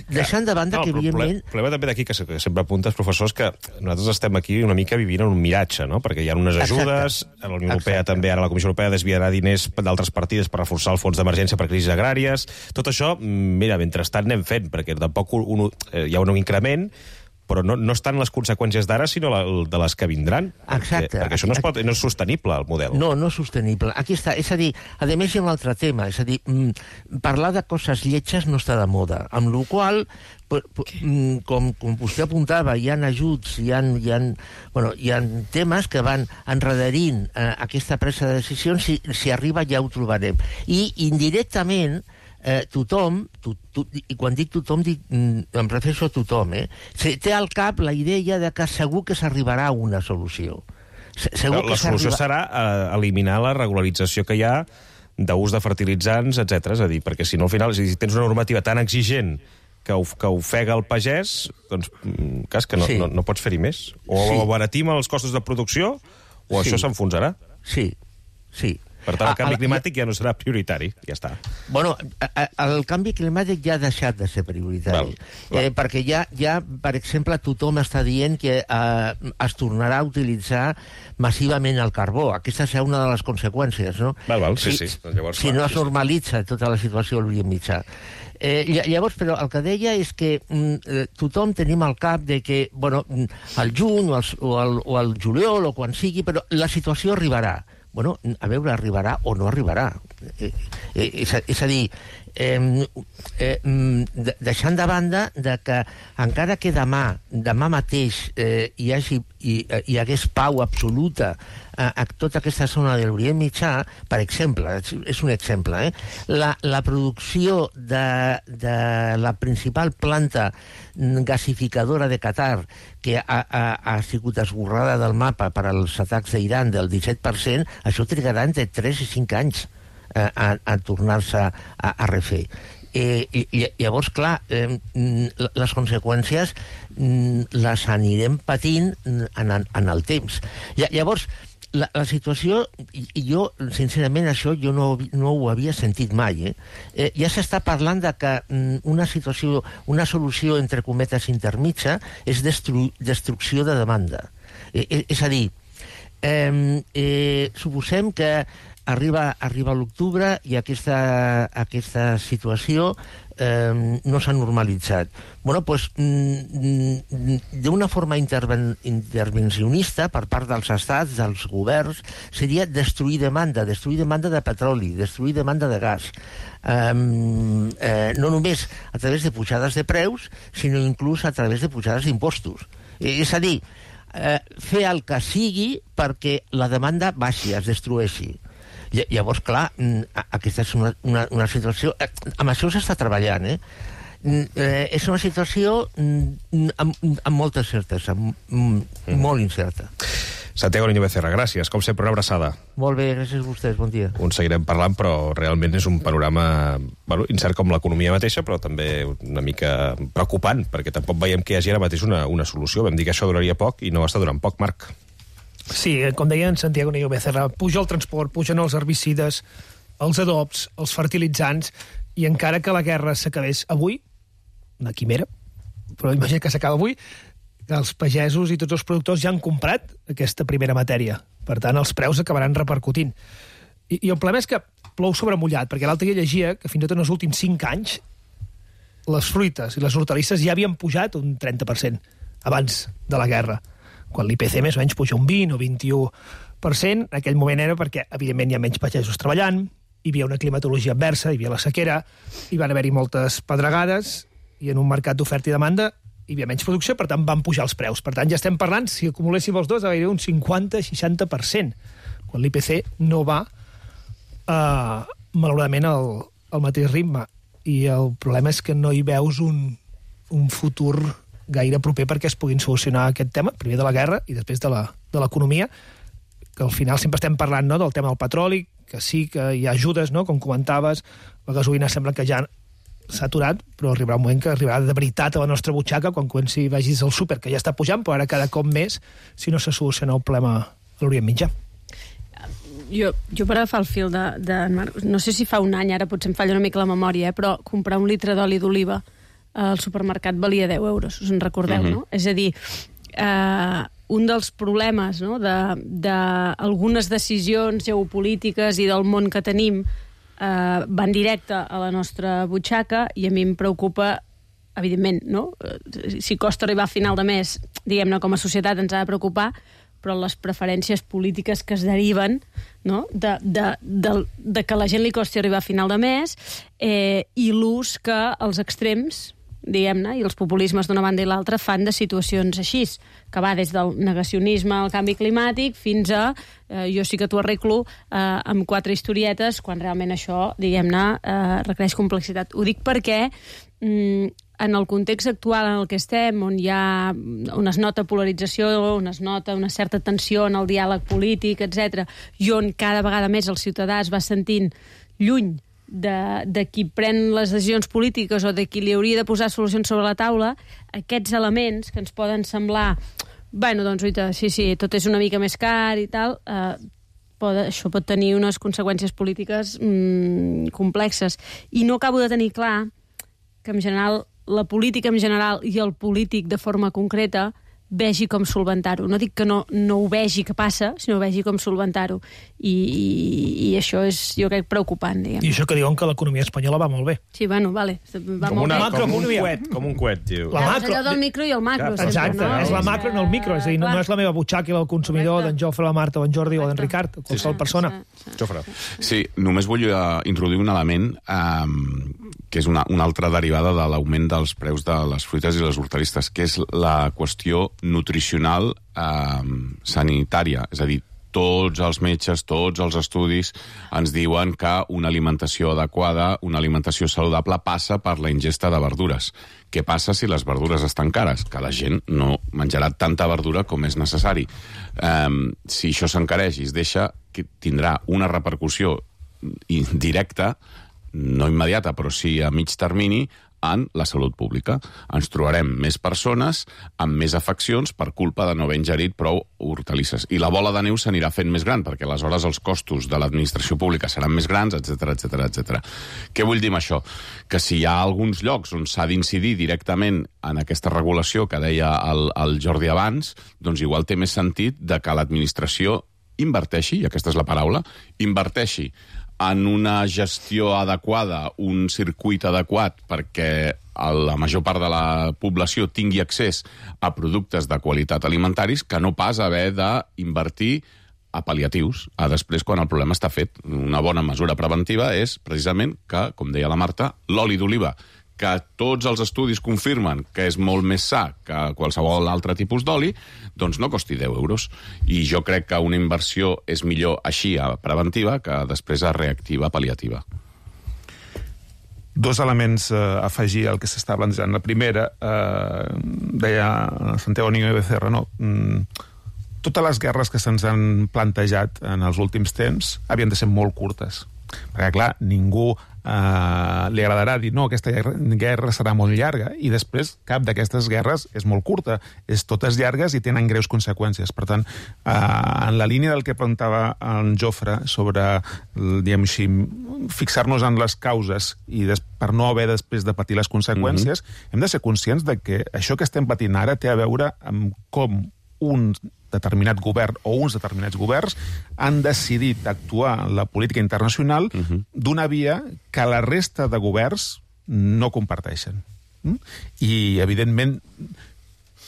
deixant de banda no, que, evidentment... El problema també d'aquí, que sempre apuntes, professors, que nosaltres estem aquí una mica vivint en un miratge, no? Perquè hi ha unes ajudes, Exacte. a la Unió Europea Exacte. també, ara la Comissió Europea desviarà diners d'altres partides per reforçar el fons d'emergència per crisis agràries. Tot això, mira, mentrestant anem fent, perquè tampoc un, eh, hi ha un increment, però no, no estan les conseqüències d'ara, sinó la, de les que vindran. Exacte. Perquè, perquè això no és, pot, no és sostenible, el model. No, no és sostenible. Aquí està. És a dir, a més hi ha un altre tema. És a dir, mm, parlar de coses lletges no està de moda. Amb la qual mm, com, com vostè apuntava, hi ha ajuts, hi ha, hi ha, bueno, hi ha temes que van enredarint eh, aquesta presa de decisions. Si, si arriba ja ho trobarem. I indirectament Eh, tothom, to, to, i quan dic tothom dic, mm, em refereixo a tothom, eh? té al cap la idea de que segur que s'arribarà a una solució. Segur la que solució serà eh, eliminar la regularització que hi ha d'ús de fertilitzants, etcètera. És a dir, perquè si no al final, si tens una normativa tan exigent que, que ofega el pagès, doncs cas que no, sí. no, no pots fer-hi més. O sí. abaratim els costos de producció o sí. això s'enfonsarà. Sí, sí. Per tant, el canvi climàtic ja no serà prioritari. Ja està. Bueno, el canvi climàtic ja ha deixat de ser prioritari. Val, val. Eh, perquè ja, ja, per exemple, tothom està dient que eh, es tornarà a utilitzar massivament el carbó. Aquesta serà una de les conseqüències, no? Val, val, sí, si, sí. Llavors, si clar, no es sí, normalitza tota la situació a l'Orient Mitjà. Eh, llavors, però, el que deia és que mm, tothom tenim al cap de que, bueno, al juny o al, o, al, o al juliol o quan sigui, però la situació arribarà. Bueno, a veure, arribarà o no arribarà. Eh, eh, és, a, és a dir, eh, eh, de, deixant de banda de que encara que demà, demà mateix eh, hi, hagi, hi, hi hagués pau absoluta a, a tota aquesta zona de l'Orient Mitjà, per exemple, és un exemple, eh, la, la producció de, de la principal planta gasificadora de Qatar, que ha, ha, ha sigut esborrada del mapa per als atacs d'Iran del disset per cent, això trigarà entre tres i cinc anys a, a, a tornar-se a, a refer. eh, i, llavors, clar, eh, les conseqüències les anirem patint en, en el temps. Llavors, La, la situació, i jo, sincerament, això jo no, no ho havia sentit mai, eh? Eh, ja s'està parlant de que una situació, una solució, entre cometes, intermitja és destru, destrucció de demanda. Eh, eh, és a dir, eh, eh, suposem que arriba, arriba l'octubre i aquesta, aquesta situació eh, no s'ha normalitzat. Bueno, pues, d'una forma interven, intervencionista per part dels estats, dels governs, seria destruir demanda, destruir demanda de petroli, destruir demanda de gas. Eh, eh, no només a través de pujades de preus, sinó inclús a través de pujades d'impostos. Eh, és a dir, eh, fer el que sigui perquè la demanda baixi, es destrueixi. Llavors, clar, aquesta és una, una, una situació... Amb això s'està treballant, eh? eh? És una situació amb, amb molta certesa, mm. molt incerta. Santiago Niño Becerra, gràcies. Com sempre, una abraçada. Molt bé, gràcies a vostès, bon dia. Un seguirem parlant, però realment és un panorama bueno, incert com l'economia mateixa, però també una mica preocupant, perquè tampoc veiem que hi hagi ara mateix una, una solució. Vam dir que això duraria poc i no està durant poc, Marc. Sí, com deia en Santiago Niño Becerra, puja el transport, pugen els herbicides, els adobs, els fertilitzants, i encara que la guerra s'acabés avui, una quimera, però imagina que s'acaba avui, els pagesos i tots els productors ja han comprat aquesta primera matèria. Per tant, els preus acabaran repercutint. I, i el problema és que plou sobre mullat, perquè l'altre dia llegia que fins i tot en els últims cinc anys les fruites i les hortalisses ja havien pujat un trenta per cent abans de la guerra, quan l'I P C més o menys puja un vint o vint-i-u per cent. En aquell moment era perquè, evidentment, hi ha menys pagesos treballant, hi havia una climatologia adversa, hi havia la sequera, hi van haver-hi moltes pedregades, i en un mercat d'oferta i demanda hi havia menys producció, per tant van pujar els preus. Per tant, ja estem parlant, si acumuléssim els dos, gairebé un cinquanta a seixanta per cent, quan l'I P C no va, eh, malauradament, al, al mateix ritme. I el problema és que no hi veus un, un futur gaire proper perquè es puguin solucionar aquest tema, primer de la guerra i després de l'economia, que al final sempre estem parlant, no?, del tema del petroli, que sí que hi ha ajudes, no?, com comentaves, la gasolina sembla que ja s'ha aturat, però arribarà un moment que arribarà de veritat a la nostra butxaca quan comenci vagis al súper, que ja està pujant, però ara cada cop més, si no se soluciona el problema a l'Orient Mitjà. Jo, jo per agafar el fil de, de Marc, no sé si fa un any, ara potser em falla una mica la memòria, eh, però comprar un litre d'oli d'oliva al supermercat valia deu euros, us en recordeu, uh-huh. no? És a dir, eh, un dels problemes, no?, d'algunes de, decisions geopolítiques i del món que tenim eh, van directe a la nostra butxaca, i a mi em preocupa, evidentment, no? Si costa arribar a final de mes, diguem-ne, com a societat ens ha de preocupar, però les preferències polítiques que es deriven, no?, de, de, de, de que a la gent li costi arribar a final de mes, eh, i l'ús que els extrems, diguem-ne, i els populismes d'una banda i l'altra fan de situacions així, que va des del negacionisme al canvi climàtic fins a eh, jo sí que t'ho arreglo eh, amb quatre historietes, quan realment això, diguem-ne, eh, requereix complexitat. Ho dic perquè mm, en el context actual en el que estem, on hi ha, on es nota polarització, on es nota una certa tensió en el diàleg polític, etcètera, i on cada vegada més el ciutadà es va sentint lluny de, de qui pren les decisions polítiques o de qui li hauria de posar solucions sobre la taula, aquests elements que ens poden semblar, bueno, doncs, oita, sí, sí, tot és una mica més car i tal, eh, pot, això pot tenir unes conseqüències polítiques mm, complexes. I no acabo de tenir clar que, en general, la política en general i el polític de forma concreta vegi com solventar-ho. No dic que no, no ho vegi que passa, sinó vegi com solventar-ho. I, i, i això és, jo crec, preocupant, diguem. I això que diuen que l'economia espanyola va molt bé. Sí, bueno, vale. Va com, molt una, bé. com un coet, com un coet, diu. La macro, allò del micro i el macro. Clar, exacte, sempre, no? És la macro, no el micro. És a dir, no, no és la meva butxaca i el consumidor d'en Jofre, la Marta, o en Jordi, o d'en Ricard, o qualsevol sí, persona. Jofre. Sí, només vull uh, introduir un element um, que és una, una altra derivada de l'augment dels preus de les fruites i les hortalisses, que és la qüestió nutricional eh, sanitària. És a dir, tots els metges, tots els estudis ens diuen que una alimentació adequada, una alimentació saludable passa per la ingesta de verdures. Què passa si les verdures estan cares? Que la gent no menjarà tanta verdura com és necessari. Eh, si això s'encareix i es deixa, que tindrà una repercussió indirecta no immediata, però sí a mig termini, en la salut pública. Ens trobarem més persones amb més afeccions per culpa de no haver ingerit prou hortalisses. I la bola de neu s'anirà fent més gran, perquè aleshores els costos de l'administració pública seran més grans, etcètera, etcètera, etcètera. Què vull dir amb això? Que si hi ha alguns llocs on s'ha d'incidir directament en aquesta regulació que deia el, el Jordi abans, doncs igual té més sentit de que l'administració inverteixi, i aquesta és la paraula, inverteixi en una gestió adequada, un circuit adequat perquè la major part de la població tingui accés a productes de qualitat alimentaris, que no pas haver d'invertir a pal·liatius, a després quan el problema està fet. Una bona mesura preventiva és precisament que, com deia la Marta, l'oli d'oliva, que tots els estudis confirmen que és molt més sa que qualsevol altre tipus d'oli, doncs no costi deu euros. I jo crec que una inversió és millor així a preventiva que després a reactiva, pal·liativa. Dos elements a eh, afegir al que s'està plantejant. La primera, eh, deia Santiago Niño de Becerra, no? Mm, totes les guerres que se'ns han plantejat en els últims temps havien de ser molt curtes. Perquè, clar, ningú eh, li agradarà dir no, aquesta guerra, guerra serà molt llarga, i després cap d'aquestes guerres és molt curta. És totes llargues i tenen greus conseqüències. Per tant, eh, en la línia del que preguntava en Jofre sobre, diguem així, fixar-nos en les causes i des, per no haver després de patir les conseqüències, mm-hmm. hem de ser conscients de que això que estem patint ara té a veure amb com un determinat govern o uns determinats governs han decidit actuar en la política internacional uh-huh. d'una via que la resta de governs no comparteixen. Mm? I, evidentment,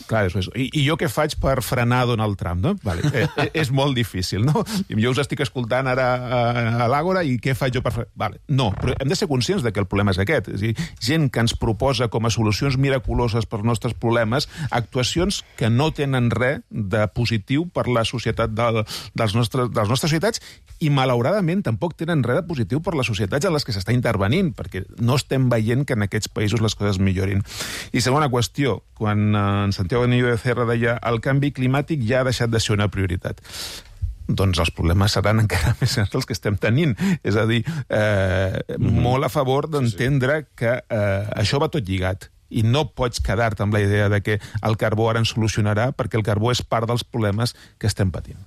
clar, és, i, i jo què faig per frenar Donald Trump, no? Vale, eh, és molt difícil, no? Jo us estic escoltant ara a, a l'Àgora i què faig jo per frenar? Vale, no, però hem de ser conscients de que el problema és aquest. És a dir, gent que ens proposa com a solucions miraculoses per als nostres problemes actuacions que no tenen res de positiu per la societat del, dels nostres, de les nostres societats, i malauradament tampoc tenen res de positiu per les societats en les que s'està intervenint, perquè no estem veient que en aquests països les coses millorin. I segona qüestió, quan eh, en Santiago Niño de Becerra deia el canvi climàtic ja ha deixat de ser una prioritat. Doncs els problemes seran encara més grans els que estem tenint. És a dir, eh, mm-hmm. molt a favor d'entendre sí, sí. que eh, això va tot lligat. I no pots quedar-te amb la idea de que el carbó ara ens solucionarà, perquè el carbó és part dels problemes que estem patint.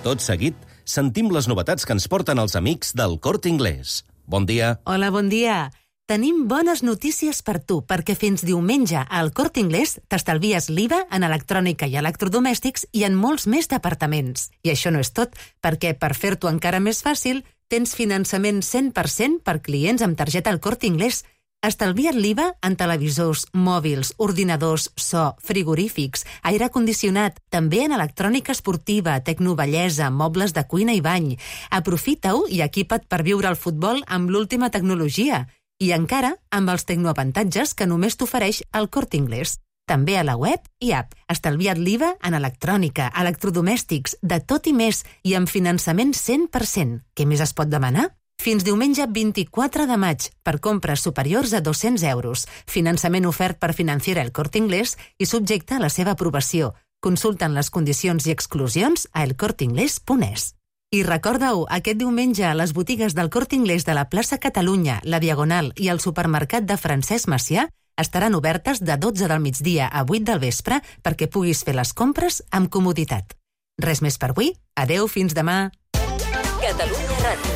Tot seguit, sentim les novetats que ens porten els amics del Corte Inglés. Bon dia. Hola, bon dia. Tenim bones notícies per tu, perquè fins diumenge al Corte Inglés t'estalvies l'I V A en electrònica i electrodomèstics i en molts més departaments. I això no és tot, perquè per fer-t'ho encara més fàcil, tens finançament cent per cent per clients amb targeta al Corte Inglés. Estalvia't l'I V A en televisors, mòbils, ordinadors, so, frigorífics, aire condicionat, també en electrònica esportiva, tecnobellesa, mobles de cuina i bany. Aprofita-ho i equipa't per viure el futbol amb l'última tecnologia. I encara amb els tecnoavantatges que només t'ofereix el Corte Inglés. També a la web i app. Estalvia't l'I V A en electrònica, electrodomèstics, de tot i més, i amb finançament cent per cent. Què més es pot demanar? Fins diumenge vint-i-quatre de maig, per compres superiors a dos-cents euros. Finançament ofert per Financiera El Corte Inglés i subjecte a la seva aprovació. Consulten les condicions i exclusions a el corte inglés punt es. I recorda-ho, aquest diumenge a les botigues del Corte Inglés de la plaça Catalunya, la Diagonal i el supermercat de Francesc Macià estaran obertes de dotze del migdia a vuit del vespre perquè puguis fer les compres amb comoditat. Res més per avui. Adeu, fins demà. Catalunya Ràdio.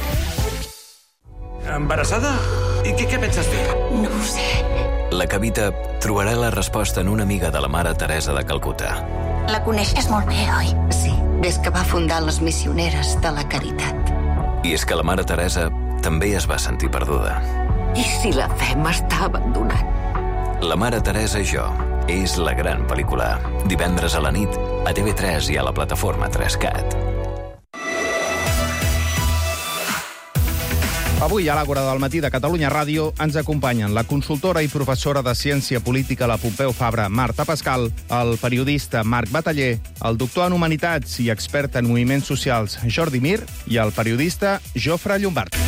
Embarassada? I què, què penses fer? No ho sé. La Cavita trobarà la resposta en una amiga de la mare Teresa de Calcuta. La coneixes molt bé, oi? Sí, des que va fundar les Missioneres de la Caritat. I és que la mare Teresa també es va sentir perduda. I si la fe m'està abandonant? La mare Teresa i jo és la gran pel·lícula. Divendres a la nit, a T V tres i a la plataforma tres cat. Avui a l'Àgora del matí de Catalunya Ràdio ens acompanyen la consultora i professora de Ciència Política a la Pompeu Fabra, Marta Pascal, el periodista Marc Bataller, el doctor en Humanitats i expert en moviments socials Jordi Mir i el periodista Jofre Llombart.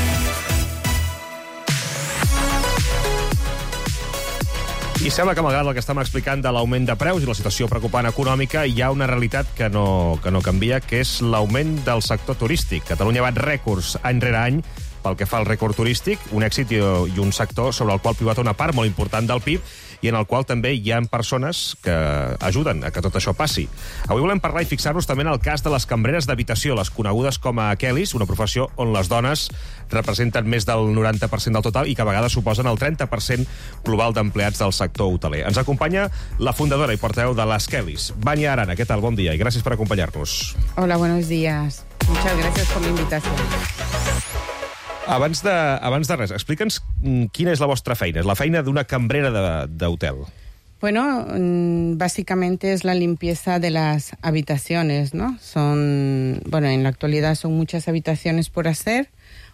I sembla que, malgrat el que estem explicant de l'augment de preus i la situació preocupant econòmica, hi ha una realitat que no, que no canvia, que és l'augment del sector turístic. Catalunya bat rècords any rere any pel que fa al rècord turístic, un èxit i, i un sector sobre el qual pivota una part molt important del P I B i en el qual també hi ha persones que ajuden a que tot això passi. Avui volem parlar i fixar-nos també en el cas de les cambreres d'habitació, les conegudes com a Kellys, una professió on les dones representen més del noranta per cent del total i que a vegades suposen el trenta per cent global d'empleats del sector hoteler. Ens acompanya la fundadora i portaveu de les Kellys, Vania Arana. Què tal? Bon dia i gràcies per acompanyar-nos. Hola, buenos días. Muchas gracias por la invitación. Abans de, abans de res, explica'ns quina és la vostra feina, és la feina d'una cambrera d'hotel. Bueno, básicamente es la limpieza de las habitaciones, ¿no? Son, bueno, en la actualidad son muchas habitaciones por hacer,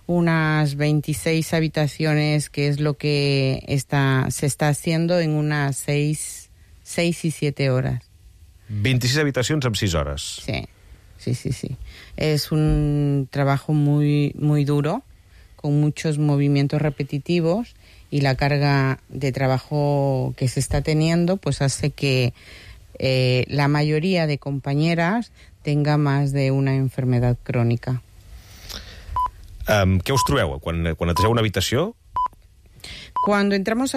unas veintiséis habitaciones, que es lo que está, se está haciendo en unas seis, seis y siete horas. veintiséis habitacions en sis hores. Sí, sí, sí, sí. Es un trabajo muy, muy duro, con muchos movimientos repetitivos, y la carga de trabajo que se está teniendo pues hace que eh, la mayoría de compañeras tenga más de una enfermedad crónica. Um, què us trobeu quan, quan netegeu una habitació? Cuando entramos a una